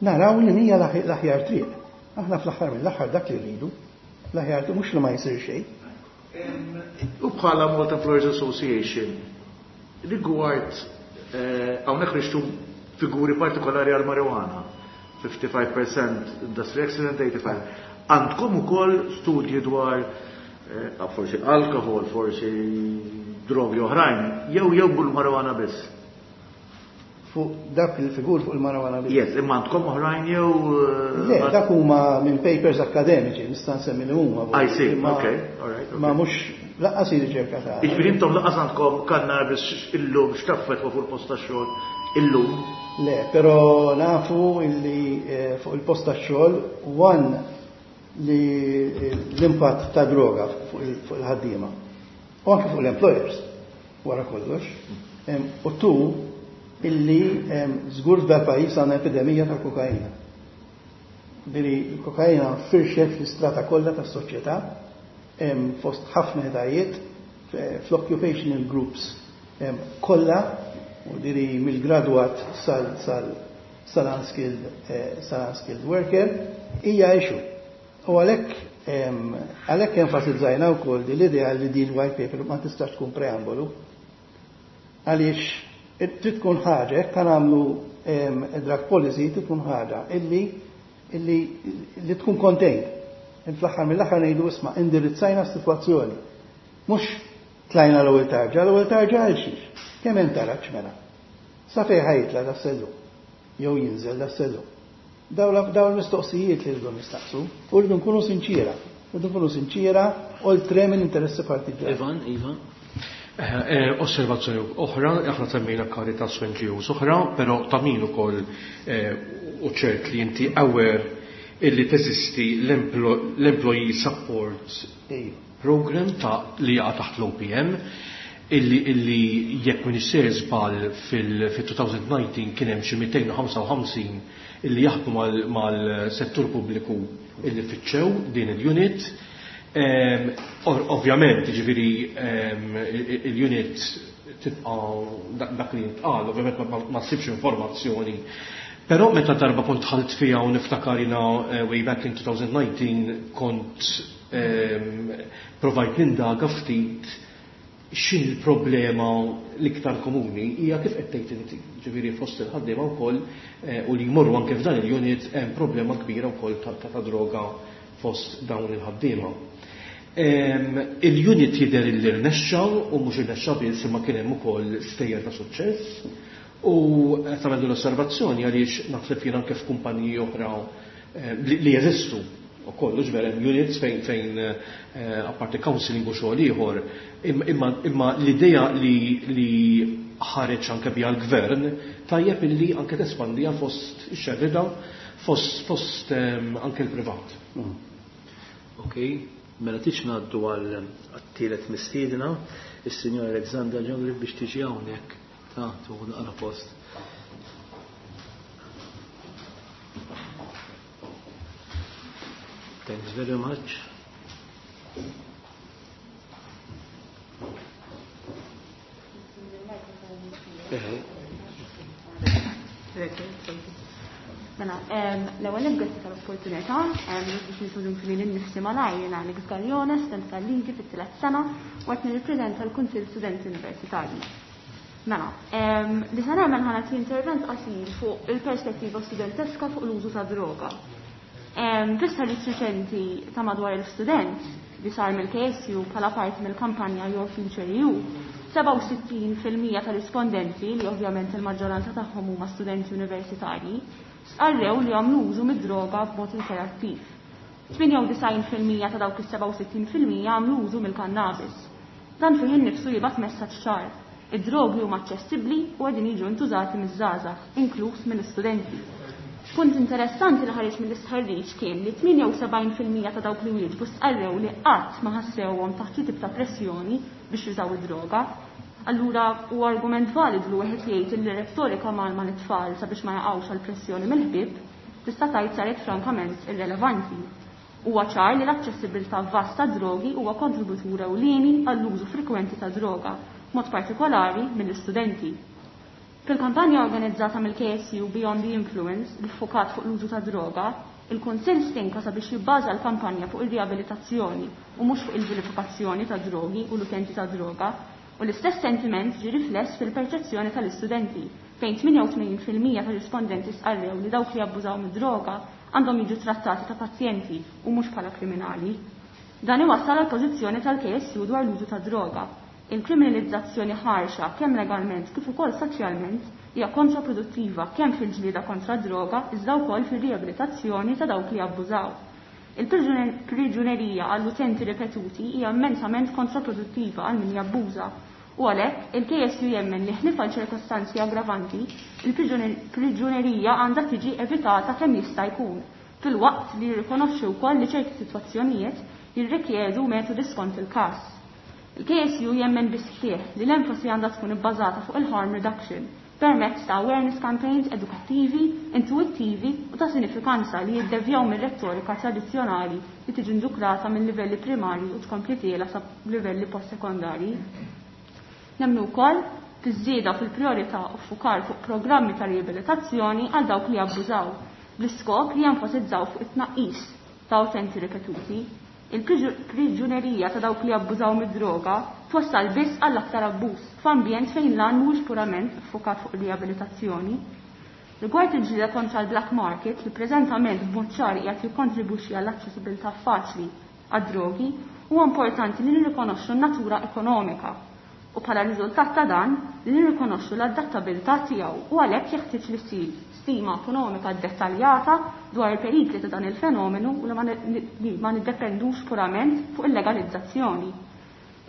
naraw li hija l-aħjar triq. Aħna fl-aħħar mill-aħħar dak li rridu, l-aħjar triq mhux li ma jsir xejn. U bħala Malta Employers Association, rigward hawnhekk rixtu figuri partikolari għal marijuana, 55% industry accident, 85. Għandkom ukoll studji dwar forsi alkohol, forsi drogi oħrajn, jew bil-marijuana biss? Fuq dak il-figur fuq il-marijuana biss. Yes, imma għandkom oħrajn jew Le, dak huma minn papers akademiċi, nista' nsemmi li huma. I see, okay, all right. Ma mhux lanqas riċerka ta' Jiġifieri intom lanqas għandkom kannabis illum x'taffettwa fuq il-post tax-xogħol illum? Le, però nafu illi fuq il-post tax-xogħol one li l-impatt ta' droga fuq il-ħaddiema. U anke fuq l-employers, wara kollox. U two, illi żgur f'dal pajjiż għandna epidemija ta' kokaina. Bili l-kokaina firxet fl-istrata kollha tas-soċjetà, fost ħafna etajiet, fl-occupational groups kollha, u diri mill-graduat sal-unskilled worker, hija issue. U għalhekk enfasizzajna wkoll di l-idea li din white paper ma tistax tkun preambolu. Għaliex trid tkun ħaġa, jekk nagħmlu drug policy trid tkun ħaġa illi li tkun contained. Fl-aħħar mill-aħħar ngħidu isma' indirizzajna s-sitwazzjoni. Mhux tlajna l-ewwel tarġa, l-ewwel tarġa għal xiex. Kemm hemm taraġ mela? Sa fejn ħa jitla' das-sellum jew jinżel das-sellum. Daw l-mistoqsijiet li rridu nistaqsu u rridu nkunu sinċiera. Rridu nkunu sinċiera oltre minn interessi partiġjani. Ivan, Ivan. Osservazzjoni oħra, aħna semmejna Caritas u NGOs oħra, però ta' min ukoll u ċert li inti aware illi teżisti l-Employee Support Program ta' li jaqa' taħt l-OPM, illi jekk minn sejjer żball fil-2019 kien hemm xi 255 illi jaħdmu mal-settur pubbliku illi fittxew din il-unit. Ovvjament, ġifieri il-unit tibqa' dak li jintqal, ovvjament ma ssibx informazzjoni. Però meta darba kont dħalt fiha u niftakar jiena way back in 2019 kont provajt nindaga ftit x'in il-problema l-iktar komuni hija kif qed tgħid inti. Ġifieri fost il-ħaddiema wkoll u li jmorru anke f'dan il-unit hemm problema kbira wkoll ta' droga fost dawn il-ħaddiema. Il-unit jidher li rnexxa u mhux irnexxa biss imma kien hemm ukoll stejjer ta' suċċess u qed nagħmel l-osservazzjoni għaliex naħseb jien anke f'kumpaniji oħra li jeżistu ukoll ġver hemm units fejn apparti counseling u xogħol ieħor, imma l-idea li ħareġ anke biha l-gvern tajjeb illi anke tespandija fost ix-xerrida fost anke l-privat. Ok, mela tiġ ngħaddu għal tielet mistiedna, is-Sinjora Alexandra Ġongri biex tiġi hawnhekk ta' tuħu naqra post. Thanks very much. Mela, l-ewwel grazzi tal-opportunità biex nintroduċi lili nnifsi malajr jiena Alex Gaglione, student tal-liġi fit-tielet sena u qed nirrappreżenta l-Kunsill Studenti Universitarji. Mela, li se nagħmel ħa nagħti intervent qasir fuq il-perspettiva studenteska fuq l-użu ta' droga. Fis-servizz riċenti ta' madwar il-student li sar mill-KSU bħala parti mill-kampanja Your Future EU, 67% tal-rispondenti, li ovvjament il-maġġoranza tagħhom huma studenti universitarji, stqarrew li għamlu użu mid-droga b'mod rikreattiv. 98% ta' dawk is-67% għamlu użu mill-kannabis. Dan fih innifsu jibgħat messaġġ ċar. Id-drogi huma aċċessibbli u qegħdin jiġu ntużati miż-żgħażagħ, inkluż mill-istudenti. Punt interessanti li ħareġ mill-istħarriġ kien li 78% ta' dawk li wieġbu stqarrew li qatt ma ħassewhom taħt xi tip ta' pressjoni biex jużaw id-droga. Allura huwa argument validu li wieħed jgħid li rettorika mgħallma lit-tfal sabiex ma jaqgħux għal pressjoni mill-ħbieb tista' tgħid saret frankament irrelevanti. Huwa ċar li l-aċċessibilità vasta tad-drogi huwa kontributur ewlieni għall-użu frekwenti ta' droga, mod partikolari mill-istudenti. Fil-kampanja organizzata mill-KSU Beyond the Influence li ffukat fuq l-użu ta' droga, il-Kunsill stinka sabiex jibbaża l-kampanja fuq ir-riabilitazzjoni u mhux fuq il-vilifikazzjoni ta' drogi u l-utenti ta' droga, u l-istess sentiment ġie rifless fil-perċezzjoni tal-istudenti, fejn 88% tar-rispondenti stqarrew li dawk li jabbużaw mid-droga għandhom jiġu trattati ta' pazjenti u mhux bħala kriminali. Dan iwassal għall-pożizzjoni tal-KSU dwar l-użu ta' droga. Il-kriminalizzazzjoni ħarxa kemm legalment kif ukoll soċjalment hija kontraproduttiva kemm fil-ġlieda kontra d-droga iżda wkoll fir-riabilitazzjoni ta' dawk li jabbużaw. Il-priġunerija għall-utenti ripetuti hija immensament kontraproduttiva għal min jabbuża u għalhekk il-KSU jemmen li ħlief għal ċirkostanzi aggravanti, il-priġunerija għandha tiġi evitata kemm jista' jkun, filwaqt li jirrikonoxxi wkoll li ċerti sitwazzjonijiet jirrikjedu metodi skont il-każ. Il-KSU jemmen bis-sħiħ li l-enfasi għandha tkun ibbażata fuq il-harm reduction permezz ta' awareness campaigns edukattivi, intuwittivi u ta' sinifikanza li jiddevjaw mir-rettorika tradizzjonali li tiġi ndukrata minn livelli primarji u tkompli tiela sa livelli postsekondarji. Nemmnu wkoll fiż-żieda fil-prijorità u ffukar fuq programmi ta' riabilitazzjoni għal dawk li jabbużaw, bl-iskop li jenfasizzaw fuq it-tnaqqis ta' utenti ripetuti. Il-priġunerija ta' dawk li jabbużaw mid-droga twassal biss għal aktar abbuż f'ambjent fejn l-għan mhuwiex purament ffukat fuq ir-riabilitazzjoni. Rigward il-ġlieda kontra l-black market li preżentament b'mod ċar qiegħed jikkontribwixxi għall-aċċessibilità faċli għad-drogi, huwa importanti li nirrikonoxxu n-natura ekonomika u bħala riżultat ta' dan li nirrikonoxxu l-adattabilità tiegħu u għalhekk jeħtieġ li ssir stima ekonomika ddettaljata dwar il-perikli ta' dan il-fenomenu u li ma niddependux purament fuq il-legalizzazzjoni.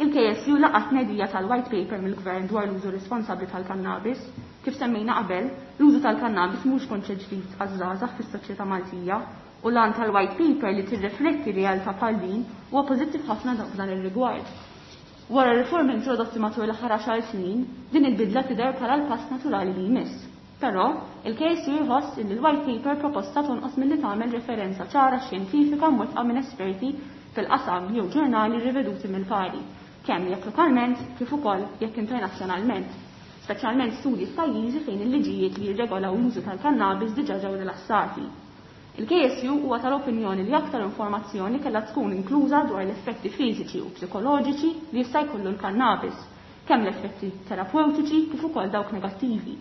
Il-KSU laqat tnedija tal-White Paper mill-Gvern dwar l-użu responsabbli tal-kannabis. Kif semmejna qabel, l-użu tal-kannabis mhux konċett ġdid għaż-żgħażagħ fis-soċjetà Maltija u l-għan tal-White Paper li tirrifletti realtà bħal din huwa pożittiv ħafna f'dan ir-rigward. Wara r-riformi introdotti matul l-aħħar għaxar snin, din il-bidla tidher bħala l-pass naturali li jmiss. Però, il-KSU jħoss illi l-White Paper proposta tonqos milli tagħmel referenza ċara xjentifika mwettqa minn esperti fil-qasam jew ġurnali riveduti mill-pari, kemm jekk lokalment kif ukoll jekk internazzjonalment, speċjalment studji f'pajjiżi fejn il-liġijiet li jirregolaw l-użu tal-kannabis diġà ġew rilassati. Il-KSU huwa tal-opinjoni li aktar informazzjoni kellha tkun inkluża dwar l-effetti fiżiċi u psikoloġiċi li jista' jkollu l-kannabis, kemm l-effetti terapewtiċi kif ukoll dawk negattivi.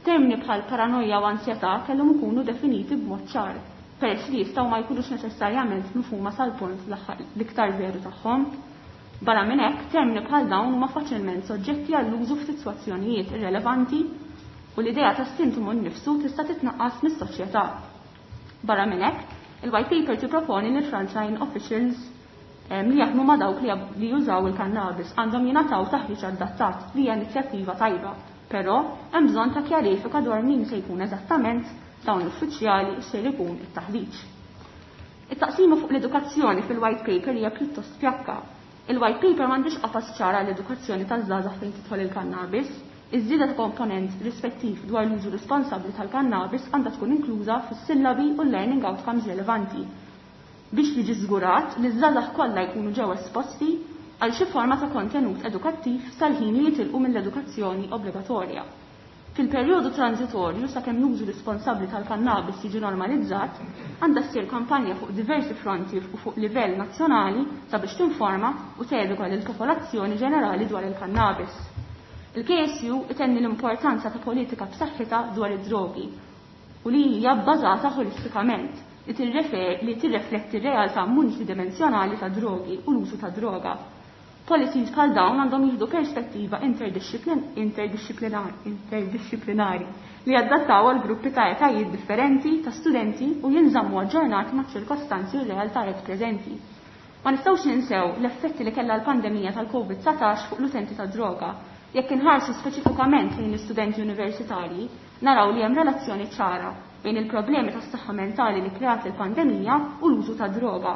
Termini bħal paranoja u ansjetà kellhom ikunu definiti b'mod ċar, peress li jistgħu ma jkunux neċessarjament mifhuma sal-punt l-iktar veru tagħhom. Barra minn hekk, termini bħal dawn huma faċilment soġġetti għall-użu f'sitwazzjonijiet irrelevanti u l-idea ta' sintomu nnifsu tista' titnaqqas mis-soċjetà. Barra minn hekk, il-White Paper tipproponi li l-frontline officials li jaħdmu ma' dawk li jużaw il-kannabis għandhom jingħataw taħriġ adattat li hija inizjattiva tajba. Però hemm bżonn ta' kjarifika dwar min se jkun eżattament dawn l-uffiċjali u x'ser ikun it-taħriġ. It-taqsima fuq l-edukazzjoni fil-White Paper hija pjuttost fjakka. Il-White Paper m'għandhiex qafas ċar għall-edukazzjoni taż-żgħażagħ fejn tidħol il-kannabis. Iż-żieda ta' komponent rispettiv dwar l-użu responsabbli tal-kannabis għandha tkun inkluża fis-sillabi u l-learning outcomes rilevanti biex jiġi żgurat li ż-żgħażagħ kollha jkunu ġew esposti għal xi forma ta' kontenut edukattiv sal-ħin li jitilqu mill-edukazzjoni obbligatorja. Fil-perjodu transitorju sakemm l-użu responsabbli tal-kannabis jiġi normalizzat, għandha ssir kampanja fuq diversi fronti u fuq livell nazzjonali sabiex tinforma u teduka lill-popolazzjoni ġenerali dwar il-kannabis. Il-KSU itenni l-importanza ta' politika b'saħħitha dwar id-drogi u li hija bbażata ħolistikament li li tirrefletti r-realtà multidimensjonali ta' drogi u l-użu ta' droga. Policies bħal dawn għandhom jieħdu perspettiva interdixxiplinari li jadattaw għal gruppi ta' etajiet differenti ta' studenti u jinżammu aġġornati maċ-ċirkostanzi u r-realtajiet preżenti. Ma nistgħux ninsew l-effetti li kellha l-pandemija tal-COVID-19 fuq l-utenti ta' droga. Jekk inħarsu speċifikament lejn l-istudenti universitarji, naraw li hemm relazzjoni ċara bejn il-problemi tas-saħħa mentali li kreat il-pandemija u l-użu ta' droga.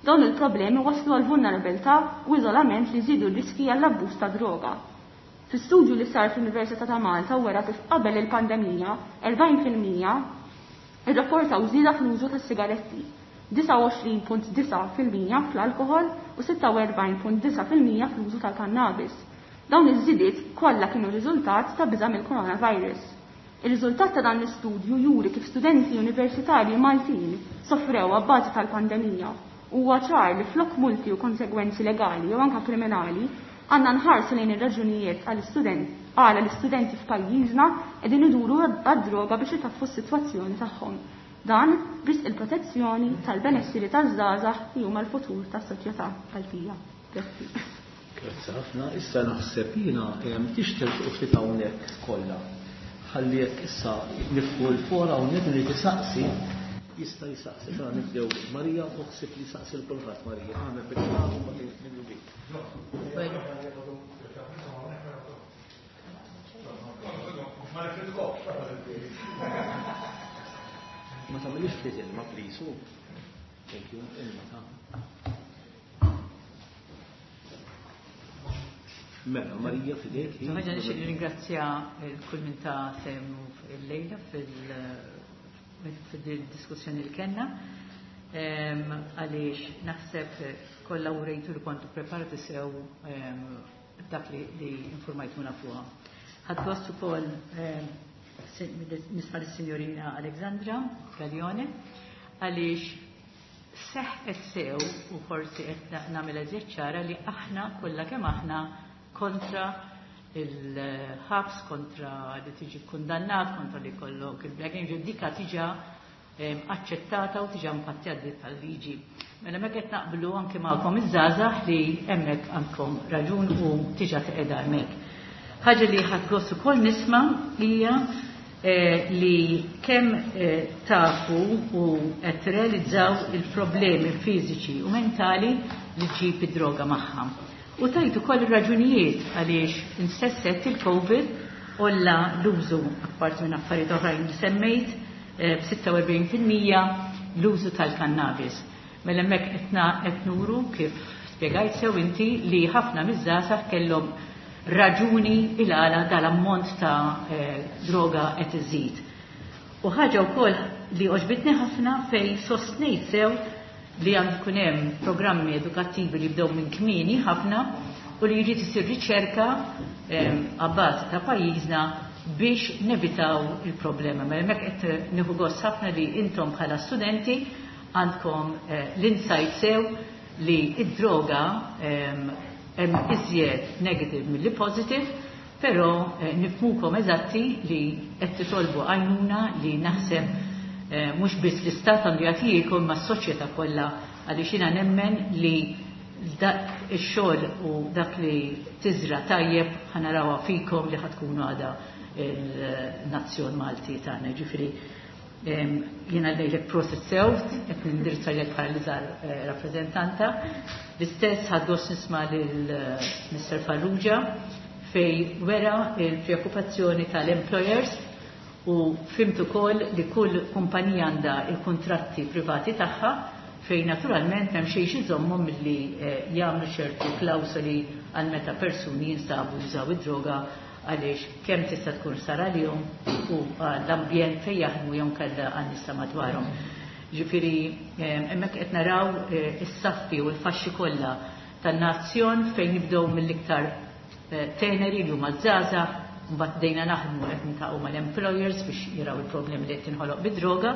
Dawn il-problemi waslu għal vulnerabilità u iżolament li żiedu r-riski għall-abbuż ta' droga. Fi studju li sar fl-Università ta' Malta wera kif qabel il-pandemija, 40% irrapportaw żieda fl-użu tas-sigaretti, 29.9% fl-alkoħol u 46.9% fl-użu tal-kannabis. Dawn iż-żidiet kollha kienu riżultat ta' biża' mill-coronavirus. Ir-riżultat ta' dan l-istudju juri kif studenti universitarji Maltin sofrew abbażi tal-pandemija. Huwa ċar li flok multi u konsegwenzi legali jew anke kriminali għandna nħarsu lejn ir-raġunijiet għall-istudent għala l-istudenti f'pajjiżna qegħdin iduru għad-droga biex itaffu s-sitwazzjoni tagħhom. Dan biex il-protezzjoni tal-benessiri taż-żgħażagħ li huma l-futur tas-soċjetà Maltija. Grazzi. Grazzi ħafna. Issa naħseb jiena tixterqu ftit hawnhekk kollha. Ħalli jekk issa nifqu l-fora hawnhekk irid isaqsi jista' jsaqsi. Mela nibdew Marija u ħsib li saqsi l kulħadd Marija. Għamel bil-ħadd u mbagħad minnu bik. Ma tagħmilix ftit ilma please. Thank you, ilma ta' Mela, Marija fidejk. Ħaġa nixtieq nirringrazzja kull min ta' sehmu il-lejla fil-diskussjoni li kellna. Għaliex naħseb kollha urejtu li kontu preparati sew dak li informajtuna fuqha. Ħadd gost ukoll nisma' lis-Sinjorina Alexandra Gaglione għaliex seħqet sew u forsi qed nagħmel eżjed ċara li aħna kollha kemm aħna kontra il-ħabs, kontra li tiġi kundannat, kontra li kollok il-Black Angel, dika tiġa aċċettata u tiġa mpattjat tal-liġi. Mela mek qed naqblu anke magħkom iż-żgħażagħ li hemmhekk għandkom raġun u tiġa teqeda hemmhekk. Ħaġa li ħadd gost ukoll nisma' hija li kemm tafu u qed tirrealizzaw il-problemi fiżiċi u mentali li ġġib id-droga magħha. U tajt ukoll ir-raġunijiet għaliex insesset il-COVID olla l-użu apparti minn affarijiet oħrajn li semmejt b'46% l-użu tal-kannabis. Mela hemmhekk qed nuru kif spjegajt sew inti li ħafna miż-żgħażagħ kellhom raġuni il-għala dal-ammont ta' droga qed iżid. U ħaġa wkoll li għoġbitni ħafna fej sostnejt sew li għandu jkun hemm programmi edukattivi li jibdew minn kmieni ħafna u li jrid isir riċerka għabbażi ta' pajjiżna biex nevitaw il-problema. Mela hemmhekk qed nieħu gost ħafna li intom bħala studenti għandkom l-insight sew li id-droga hemm iżjed negative milli positive, però nifhmukom eżatti li qed titolbu għajnuna li naħseb mhux biss l-istat għandu jagħtikom ma s-soċjetà kollha għaliex jiena nemmen li dak ix-xogħol u dak li tiżra tajjeb ħanarawha fikom li ħatkunu għada il-nazzjon Malti tagħna. Ġifieri jiena lejlek prosit sew, qed nindirizza lilek bħala l-iżgħar rappreżentanta. L-istess ħadd gost nisma' lil Mr. Farrugia fej wera il-preokkupazzjoni tal-employers u fhimt ukoll li kull kumpanija għandha il-kuntratti privati tagħha fejn naturalment hemm xejn iżommhom milli jagħmlu ċertu klawsoli għal meta persuni jinsabu jużaw id-droga għaliex kemm tista' tkun sar għalihom u l-ambjent fejn jaħdmu jew kellha għan-nisa madwarhom. Ġifieri hemmhekk qed naraw is-saffi u l-faxxi kollha tan-nazzjon fejn nibdew mill-iktar teneri li huma żgħażagħ, mbagħad bdejna naħdmu qed niltaqgħu mal-employers biex jaraw il-problemi li qed tinħoloq bid-droga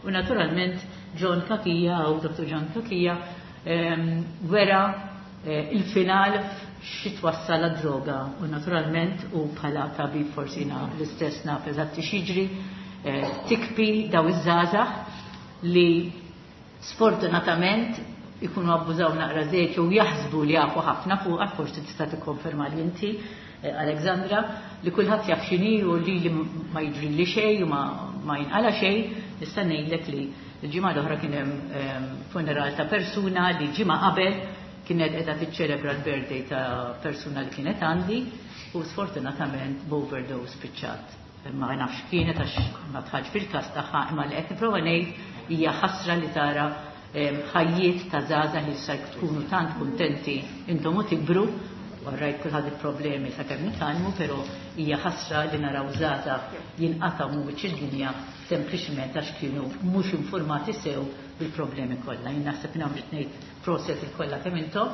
u naturalment John Cachia u Dr. John Cachia wera il-final xi twassal għad-droga u naturalment u bħala tabib forsi l-istess naf eżatti x'jiġri tikpi daw iż-żgħażagħ li sfortunatament ikunu abbużaw naqra żejt jew jaħsbu li jafu ħafna fuqha, forsi tista' tikkonferma li inti Alexandra, li kulħadd jaf x'inhi u li ma jiġri xejn u ma jinqala xejn, nista' ngħidlek li l-ġimgħa l-oħra kien hemm funeral ta' persuna li ġimgħa qabel kienet qiegħda tiċċelebra l-birthday ta' persuna li kienet għandi u sfortunatament b'overdose spiċċat. Ma nafx kienet għax ma dħaltx fil-każ tagħha, imma li qed nipprova ngħid hija ħasra li tara ħajjiet ta' żgħażagħ li issa tkunu tant kuntenti intom u tikbru, rajt kulħadd il-problemi sakemm nitgħallmu, però hija ħasra li naraw żgħażagħ jinqatgħu minn wiċċ id-dinja sempliċement għax kienu mhux informati sew bil-problemi kollha. Jien naħseb nagħmel ngħid proset il-kollha kemm intom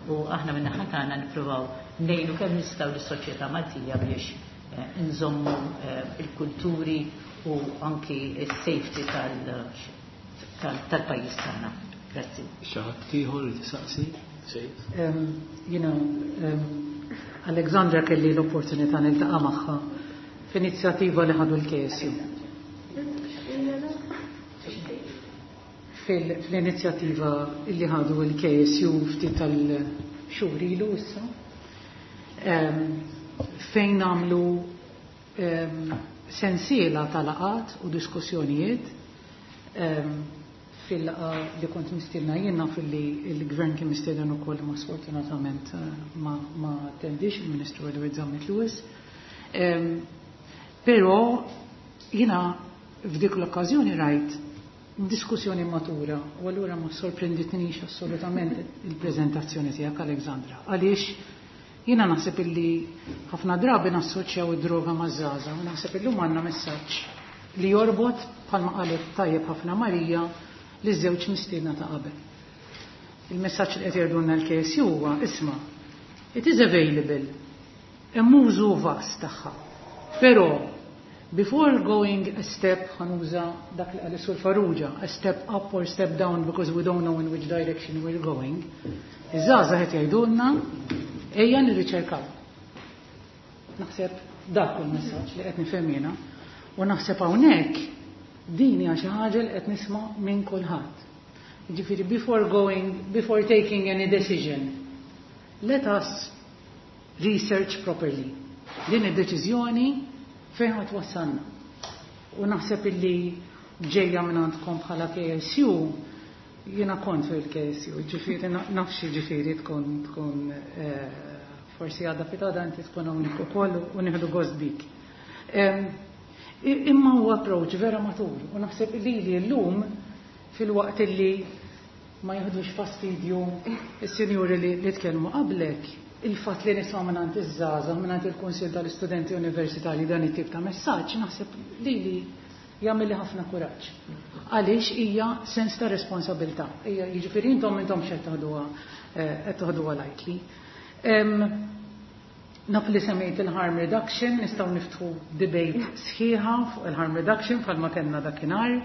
u aħna minn naħa tagħna nippruvaw ngħinu kemm nistgħu lis-soċjetà Maltija biex nżommu il-kulturi u anki s-safety tal-pajjiż tagħna. Grazzi. Xi ħadd ieħor li tisaqsi? Jiena Alexandra kelli l-opportunità niltaqa' magħha f'inizjattiva li ħadu l-KSU. Fl-inizjattiva li ħadu l-KSU ftit tal-xhur ilu issa, fejn għamlu sensiela ta' laqgħat u diskussjonijiet. Fil-laqgħa li kont mistiedna jien naf li l-gvern kien mistieden ukoll, ma sfortunatament ma attendix il-Ministru Edward Zammit Lewis. Però jiena f'dik l-okkażjoni rajt diskussjoni matura u allura ma sorprenditnix assolutament il-preżentazzjoni tiegħek, Alexandra. Għaliex jiena naħseb illi ħafna drabi nassoċjaw id-droga maż-żgħażagħ u naħseb illum għandna messaġġ li jorbot, bħalma qalet tajjeb ħafna Marija, li żewġ mistiedna ta' qabel. Il-messaġġ li qed jgħidulna l-KSU huwa: isma', it is available, hemm użu vast tagħha. Però before going a step, ħa nuża dak li qal Sur Farrugia, a step up or step down because we don't know in which direction we're going, iż-żgħażagħ qed jgħidulna ejja nirriċerkaw. Naħseb dak hu l-messaġġ li qed nifhem jiena u naħseb hawnhekk din hija xi ħaġa li qed nisma' minn kulħadd. Jiġifieri before taking any decision, let us research properly. Din id-deċiżjoni fejn ħa twassalna. U naħseb illi ġejja minn għandkom bħala KSU, jiena kont fil-KSU, ġifieri nafx ġifieri tkun forsi għada pitgħada inti tkun hawnhekk ukoll u nieħdu gost bik. Imma huwa approach vera matur u naħseb li li llum fil-waqt illi ma jieħdux fastidju is-sinjuri li tkellmu qablek, il-fatt li nisma' mingħand iż-żgħażagħ, mingħand il-Kunsill tal-Istudenti Universitarji dan it-tip ta' messaġġ, naħseb li jagħmel li ħafna kuraġġ. Għaliex hija sens ta' responsabilità. Hija jiġifieri intom intom x'qed taħduha qed taħduha lightly. Naf li semmejt il-harm reduction, nistgħu niftħu debate sħiħa fuq il-harm reduction bħalma kellna dakinhar.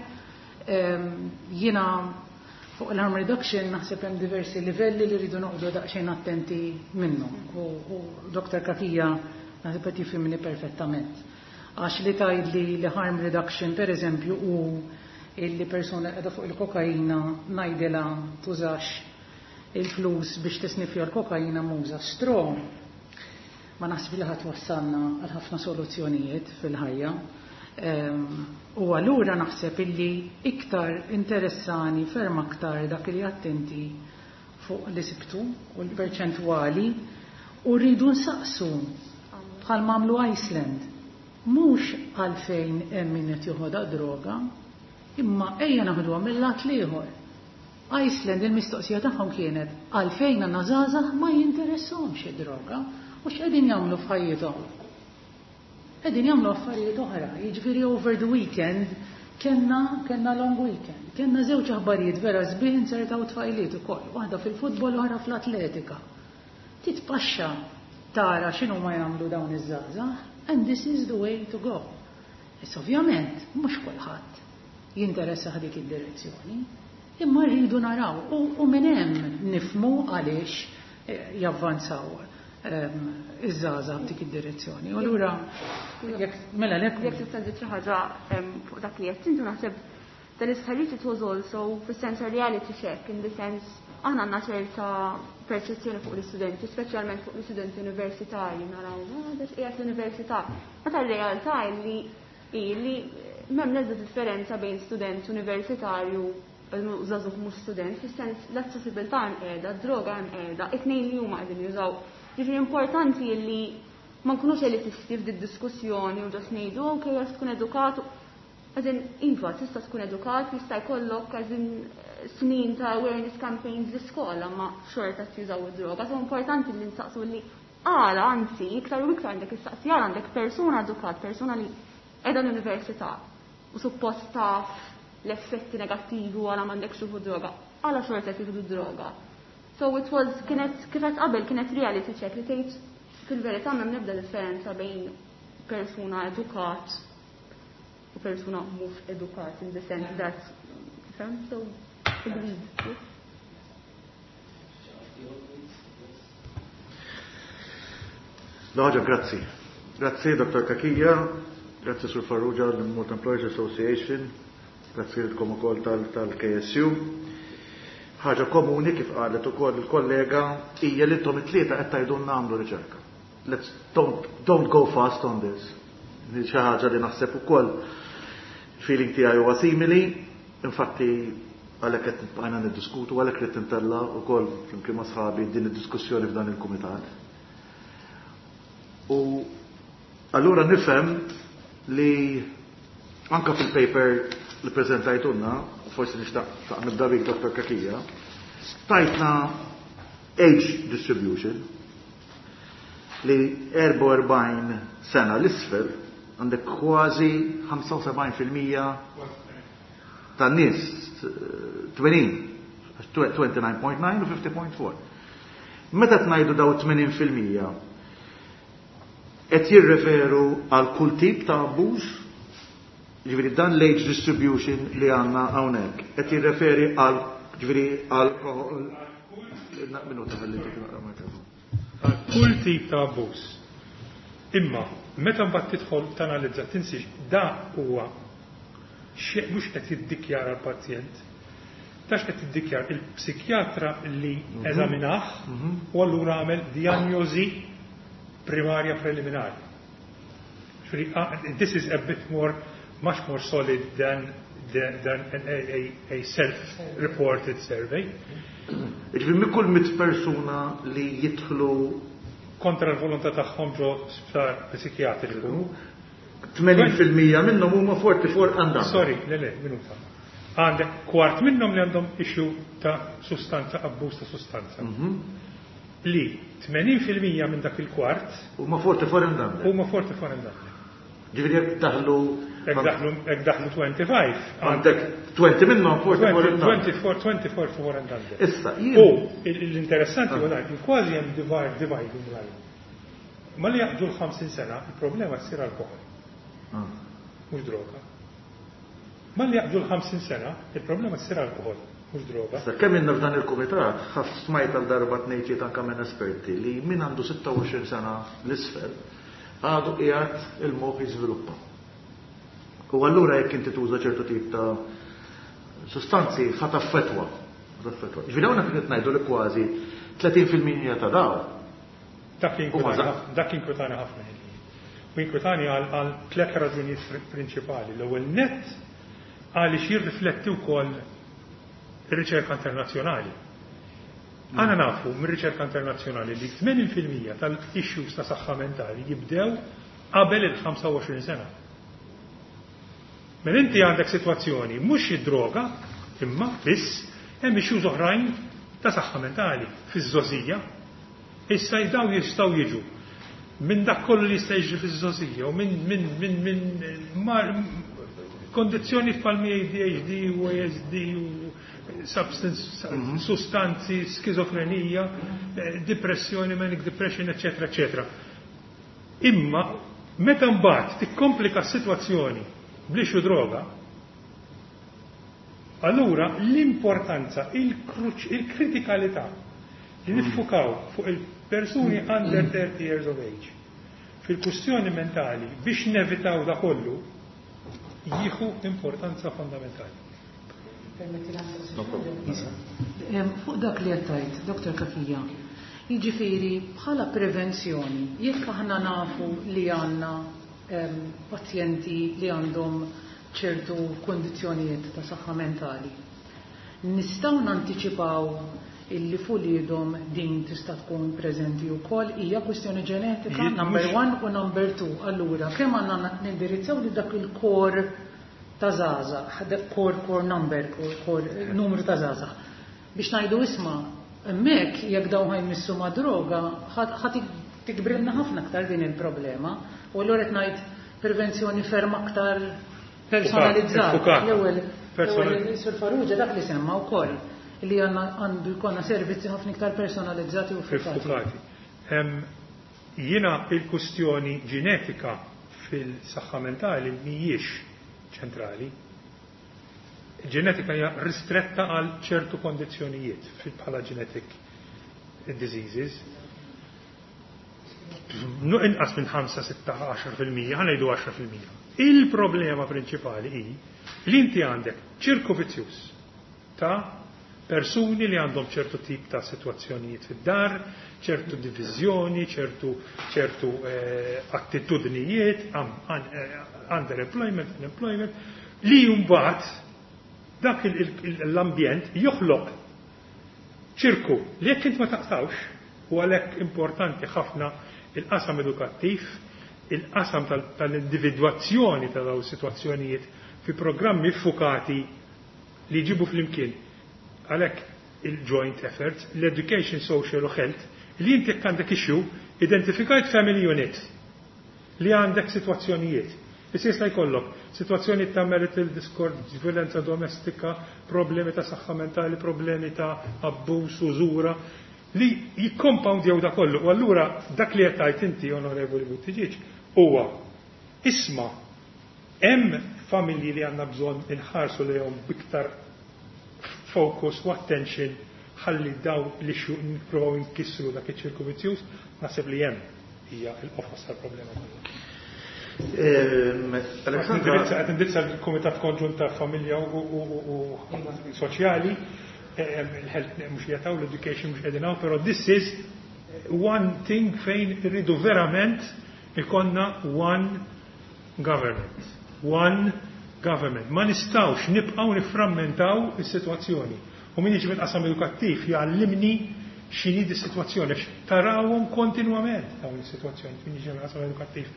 Jiena fuq il-harm reduction naħseb hemm diversi livelli li rridu noqogħdu daqsxejn attenti minnhom. U Dr. Cachia naħseb qed jifhimni perfettament. Għax li tgħidli li harm reduction per eżempju u illi persuna qiegħda fuq il-kokaina ngħidilha tużax il-flus biex tisnifja l-kokaina, uża straw, ma naħseb li ħadd wassalna għal ħafna soluzzjonijiet fil-ħajja. U allura naħseb illi iktar interessani ferm aktar dak li attenti fuq li sibtu u l-perċentwali u rridu nsaqsu bħal m'għamlu Iceland. Mhux għalfejn hemm min qed joħodha droga, imma ejja naħduha mill-lat l-ieħor. Iceland il-mistoqsija tagħhom kienet għalfejn għandna żgħażagħ ma jinteressahomx id-droga u x'qegħdin jagħmlu f'ħajjithom. Qegħdin jagħmlu affarijiet oħra, jiġifieri over the weekend kellna long weekend, kellna żewġ aħbarijiet vera sbieħ insertaw tfajliet ukoll, waħda fil-futbol u oħra fl-atletika. Titpaxxa tara x'inhu ma jagħmlu dawn iż-żgħażagħ, and this is the way to go. Issa ovvjament mhux kulħadd jinteressa dik id-direzzjoni, imma rridu naraw u minn hemm nifmu għaliex javvanzaw iż-żgħażagħ f'dik id-direzzjoni. U allura jekk mela lek Jekk tista' żid xi ħaġa fuq dak li qed intu, naħseb dan is-stħarriġ it was also fis-sens reality check, in the sense aħna għandna ċerta perċezzjoni fuq l-istudenti, speċjalment fuq l-istudenti universitarji, naraw, ah, dak qiegħed l-università. Meta r-realtà li m'hemm l-ebda differenza bejn student universitarju u żagħżugħ mhux student, fis-sens l-aċċessibilità hemm qiegħda, d-droga hemm qiegħda, it-tnejn li huma qegħdin jużaw. Ġifieri importanti li Ma nkunux elitisti f'di diskussjoni u just ngħidu, ok, għax tkun edukat. As in, iva, tista' tkun edukat, jista' jkollok, as in, snin ta' awareness campaigns l-iskola, ma xorta jużaw id-droga. So importanti li nsaqsu li għala, anzi, iktar u iktar għandek issaqsi għala għandek persuna edukat, persuna li qiegħda l-università u suppost taf l-effetti negattivi u għala m'għandekx tieħu droga, għala xorta tieħdu droga. So it was, kienet, kif għedt qabel, kienet reality check li tgħid fil-verità m'hemm nebda differenza bejn persuna edukat u persuna mhux edukat in the sense that, tifhem? So, agreed. L-ħaġa, grazzi. Grazzi, Dr. Cachia, grazzi Sur Farrugia, l-Malta Employers Association, grazzi lilkom ukoll tal-KSU. Ħaġa komuni kif qalet ukoll il-kollega hija li intom it-tlieta qed tgħidulna nagħmlu riċerka. Let's don't go fast on this. Xi ħaġa li naħseb ukoll feeling tiegħi huwa simili, infatti għalhekk qed bqajna niddiskutu, għalhekk rid tintella wkoll flimkien ma' sħabi din id-diskussjoni f'dan il-kumitat. U allura nifhem li anka fil-paper li preżentajtulna, forsi nixtaq nibda bik Dr. Cachia, tajtna age distribution li 44 sena l-isfel għandek kważi 75% tan-nies, 80, 29.9 u 50.4. Meta tnajdu daw 80% qed jirreferu għal kull tip ta' abbuż, ġifieri dan l-age distribution li għandna hawnhekk, qed jirreferi għal, ġifieri għal minuta ħalli naqra mikrofon. Għal kull tip ta' abbuż. Imma meta mbagħad tidħol tanalizza tinsiex da huwa mhux qed jiddikjara l-pazjent. Tax qed jiddikjara il-psikjatra li eżaminah u allura għamel diagnosi primarja preliminari. This is a bit more, much more solid than a self-reported survey. Ġifieri minn kull 100 persuna li jidħlu kontra l-volontà tagħhom ġo sptar psikjatriku. 80% minnhom huma 44 and under. Sorry, le le, minuta. Għandek kwart minnhom li għandhom issue ta' sustanza, abbuż ta' sustanza. Li 80% minn dak il-kwart huma 44 and under. Huma 44 and under. Ġifieri jekk daħlu Jekk daħlu 25. Għandek 20 minnhom 44 and under. 24 four and under. Issa, jien U l-interessanti huwa li kważi hemm dividing line. Ma li jaqbżu l-50 sena, il-problema ssir alkohol. Mhux droga. Ma li jaqbżu l-50 sena, il-problema ssir alkohol, mhux droga. Issa, kemm inna f'dan il-kumitat, ħaf smajt għal darba tnejn anke minn esperti li min għandu 26 sena l-isfel għadu qiegħed il-moħħ jiżviluppa. U allura jekk inti tuża ċertu tip ta' sustanzi ħa taffettwa. Ġifieri hawnhekk qed ngħidu li kważi 30% ta' daw. Dak inkwetani ħafna. U inkwetani għal tliet raġunijiet prinċipali. L-ewwel nett għaliex jirrifletti wkoll ir-riċerka internazzjonali. Aħna nafu mir-riċerka internazzjonali li 80% tal-issues ta' saħħa mentali jibdew qabel il-25 sena. Mela inti għandek sitwazzjoni mhux id-droga, imma biss hemm issues oħrajn ta' saħħa mentali fiż-żgħożija. Issa dawn jistgħu jiġu minn dak kollu li jista' jiġri fiż-żgħożija u minn kondizzjoni bħal ADHD u ASD u substance, sustanzi, skizofrenija, depressjoni, manic depression, eccetera, eccetera. Imma meta mbagħad tikkomplika s-sitwazzjoni bl-issue droga, allura l-importanza, il-kritikalità li niffukaw fuq il-persuni under 30 years of age fil-kustjoni mentali biex nevitaw da kollu jieħu importanza fondamentali. Fuq dak li għedt, Dr. Cachia, jiġifieri bħala prevenzjoni, jekk aħna nafu li għandna pazjenti li għandhom ċertu kondizjonijiet ta' saħħa mentali, nistgħu nanticipaw illi f'uliedhom din tista' tkun preżenti wkoll. Hija kwistjoni ġenetika, number 1 u number 2. Allura, kemm għandna nindirizzaw li dak il-kor ta' żgħażagħ, dak core number, core numru ta' żgħażagħ. Biex ngħidu isma', hemmhekk jekk dawn ħa jmissu ma' droga, ħa tikbrilna ħafna aktar din il-problema. U allura qed ngħid prevenzjoni ferm aktar personalizzata. L-ewwel Sur Farrugia dak li semma wkoll li għandna għandu jkollna servizzi ħafna iktar personalizzati u fukati. Jiena il-kustjoni ġenetika fil-saħħa mentali mhijiex ċentrali. Ġenetika hija ristretta għal ċertu kondizzjonijiet bħala genetic diseases. Inqas minn 5, 6, 10%, ħa ngħidu 10%. Il-problema prinċipali hi li inti għandek ċirku vizzjuż ta' persuni li għandhom ċertu tip ta' situazzjonijiet fid-dar, ċertu diviżjoni, ċertu attitudnijiet, underemployment, unemployment, li mbagħad dak l-ambjent joħloq ċirku li jekk int ma taqtawx, u għalhekk importanti ħafna il-qasam edukattiv, il-qasam tal-individwazzjoni ta' dawn is-sitwazzjonijiet fi programmi ffukati li jġibu flimkien. Għalhekk il-joint efforts, l-education, social u health, li inti jekk għandek issue, identifikajt family unit li għandek sitwazzjonijiet. Issa jista' jkollok sitwazzjoni ta' marital discord, violenza domestika, problemi ta' saħħa mentali, problemi ta' abbuż, użura, li jikkompoundjaw da kollu. U allura dak li qed tgħid inti, Onorevoli Buttigieg, huwa isma' hemm familji li għandna bżonn inħarsu lejhom biktar focus u attention ħalli daw li xu nippruvaw inkissru dak iċ-ċirku vizzjuż, naħseb li hemm hija l-qofos tal-problema kollha. Alexandra, Qed indirizza l-Kumitat Konġunt ta' Familja u Soċjali, il-health mhux jataw, l-education mhux qegħdin hawn, però this is one thing fejn irridu verament ikonna one government. One government. Ma nistgħux nibqgħu niframmentaw is-sitwazzjoni. U min jiġi mill-qasam edukattiv jgħallimni x'inhi di sitwazzjoni, għax tarawhom kontinwament dawn is-sitwazzjoni min jiġi mill-qasam edukattiv.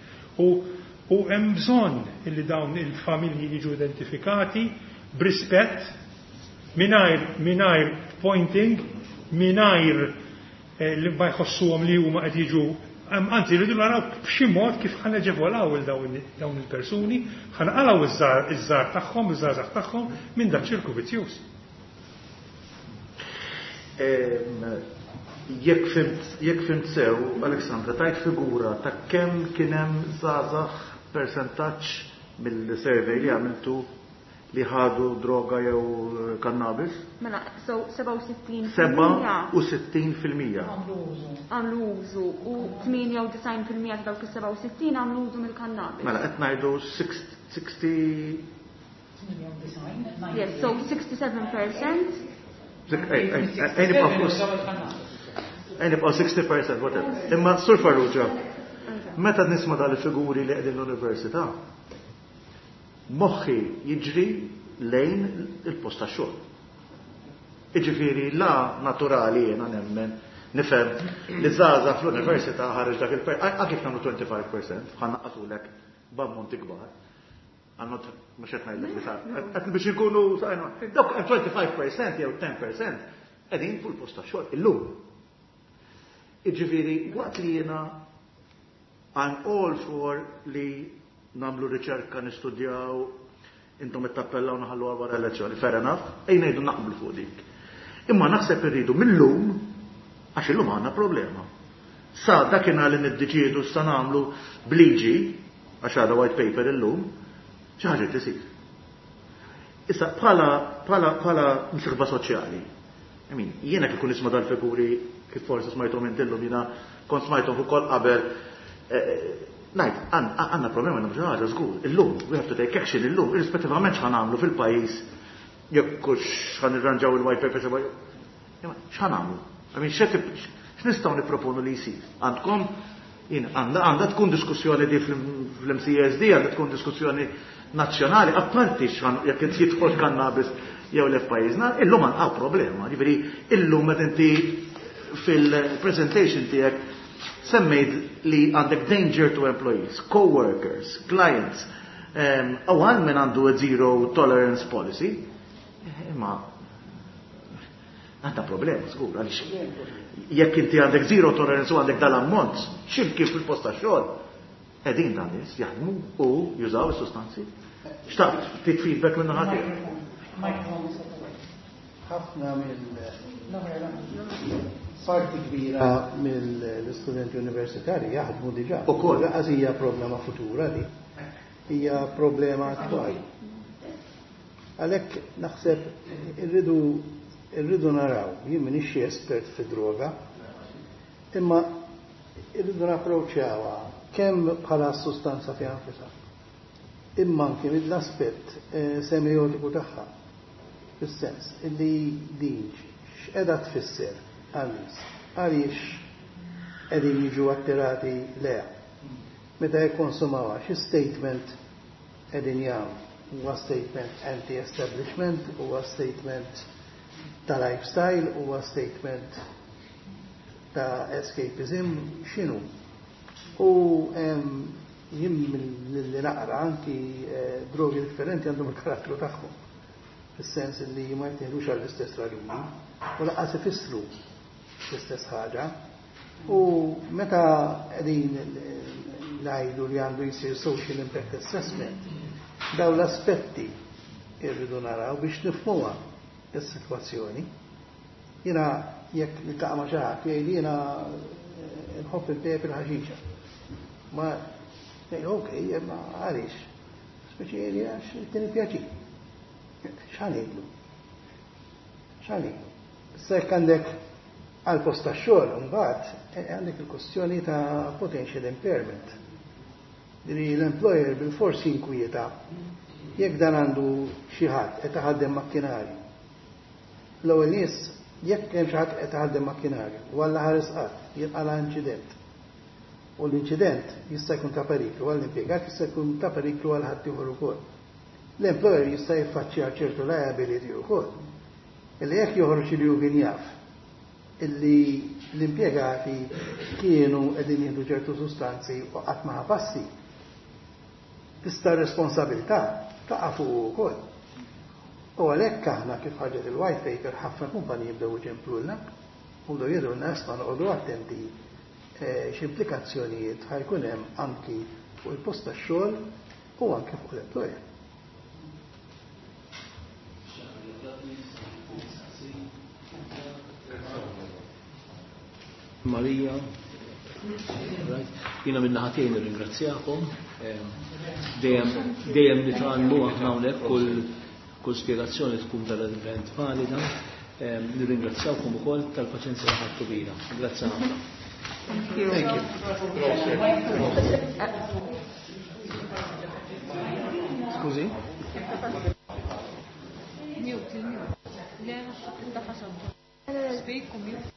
U hemm bżonn illi dawn il-familji jiġu identifikati b'rispett, mingħajr pointing, mingħajr li ma jħossuhom li huma qed jiġu, anzi rridu naraw b'xi mod kif ħa neġevolaw il dawn il-persuni, ħa naqalgħu iż-żgħar tagħhom, iż-żgħażagħ tagħhom minn dak ċirku vizzjuż. Jekk fimt sew, Alexandra, tajt figura ta' kemm kien hemm żgħażagħ persentaġġ mill-survey li għamiltu li ħadu droga jew kannabis? Mela, so 67 fil-mija. 67 fil-mija. Għamlu użu u 98% ta' dawk is-67 għamlu użu mill-kannabis. Mela, qed ngħidu 60. Yes, so 67%. Ej, nibqgħu 60%, whatever. Imma Sur Farrugia, meta nisma' dal-figuri li qegħdin l-università, moħħi jiġri lejn il-post tax-xogħol. Jiġifieri la naturali jiena nemmen nifhem li żgħażagħ fl-università ħareġ dak il-per, anke kif nagħmlu 25%, ħa naqqasulek b'ammonti kbar. Għannu mhux qed ngħidlek li sar. Qed biex inkunu sajna, dawk hemm 25% jew 10% qegħdin fuq il-post tax-xogħol illum. Jiġifieri waqt li jiena I'm all for li nagħmlu riċerka, nistudjaw, intom ittappellaw naħallu wara elezzjoni, fair enough, ejn ngħidu naqblu fuq dik. Imma naħseb irridu millum, għax illum għandna problema. Sa dakinhar li niddeċiedu sa nagħmlu bliġi, għax għadha white paper illum, xi ħaġa tisir. Issa bħala msieħba soċjali, jiena kif kun nisma' dal-figuri kif forsi smajthom intillum, jiena kont smajthom ukoll qabel, ngħid, għandna problema, għandna xi ħaġa żgur, illum, we have to take action illum, irrispettivament x'ħa nagħmlu fil-pajjiż, jekk hux x'ħa nirranġaw il-white paper, imma x'ħa nagħmlu? X'nistgħu nipproponu li jsir? Għandkom, jien, għandha tkun diskussjoni di fl-MCSD, għandha tkun diskussjoni nazzjonali, apparti x'ħan, jekk jidħol kannabis. jew le f'pajjiżna, illum għandna problema. Ġifieri illum meta inti fil-presentation tiegħek semmejt li għandek danger to employees, co-workers, clients, u għal min għandu a zero tolerance policy, imma għandha problema, żgur, għaliex jekk inti għandek zero tolerance u għandek dal-ammont, x'imkien fil-post tax-xogħol, qegħdin dan nies jaħdmu u jużaw is-sustanzi. Xtaqt ftit feedback minn naħa tiegħek. Ħafna mill parti kbira mill-istudenti universitari jaħdmu diġà. Ukoll. Lanqas hija problema futura di. Hija problema attwali. Għalhekk naħseb irridu irridu naraw, jien m'iniex xi espert fi droga, imma irridu napproċċjawha kemm bħala sustanza fiha nfisha. Imma anke mill-aspett semiotiku tagħha. Fis-sens illi din x'qiegħda tfisser għan-nies, għaliex qegħdin jiġu attirati lejha. Meta jikkonsumawha, xi statement qegħdin jagħmlu? Huwa statement anti-establishment, huwa statement ta' lifestyle, huwa statement ta' escapism, x'inhu? U jien li naqra anki drogi differenti għandhom il-karattru tagħhom. Fis-sens li ma jittieħdux għall-istess raġuni u lanqas ifissru l-istess ħaġa. U meta qegħdin ngħidu li għandu jsir social impact assessment, daw l-aspetti irridu naraw biex nifhmuha is-sitwazzjoni. Jiena jekk niltaqa' ma' xi ħadd jgħid jiena nħobb il-pejjep il-ħaxixa. Ma ngħid ok, imma għaliex? Speċi għax kien pjaċir. X'ħa ngħidlu? X'ħa ngħidlu? Issa jekk għandek għal post tax-xogħol imbagħad għandek il-kwestjoni ta' potential impairment. Li l-employer bil-fors jinkwieta jekk dan għandu xi ħadd qed iħaddem makkinarju. L-ewwel nies jekk hemm xi ħadd qed iħaddem makkinarju u Alla ħares qatt jinqala' inċident. U l-inċident jista' jkun ta' periklu għall-impjegat, jista' jkun ta' periklu għal ħaddieħor ukoll. L-employer jista' jiffaċċja ċertu liability wkoll. Illi jekk joħroġ li hu kien jaf illi l-impjegati kienu qegħdin jieħdu ċertu sustanzi u qatt ma passi, tista' responsabilità taqa' fuq ukoll. U għalhekk aħna kif ħarġet il-white paper ħafna kumpaniji bdew iċemplulna u bdew jgħidulna isma' noqogħdu attenti x'implikazzjonijiet ħa jkun hemm anki fuq il-post tax-xogħol u anki fuq l-employer. Marija, right. Jiena minn naħa tiegħi nirringrazzjakom. Dejjem nitgħallmu aħna hawnhekk kull spjegazzjoni tkun verament valida. Nirringrazzjawkom ukoll tal-paċenzja li ħadtu bina. Grazzi ħafna. Thank you. Thank you. Skużi? Mute, mute. Le, speak u mute.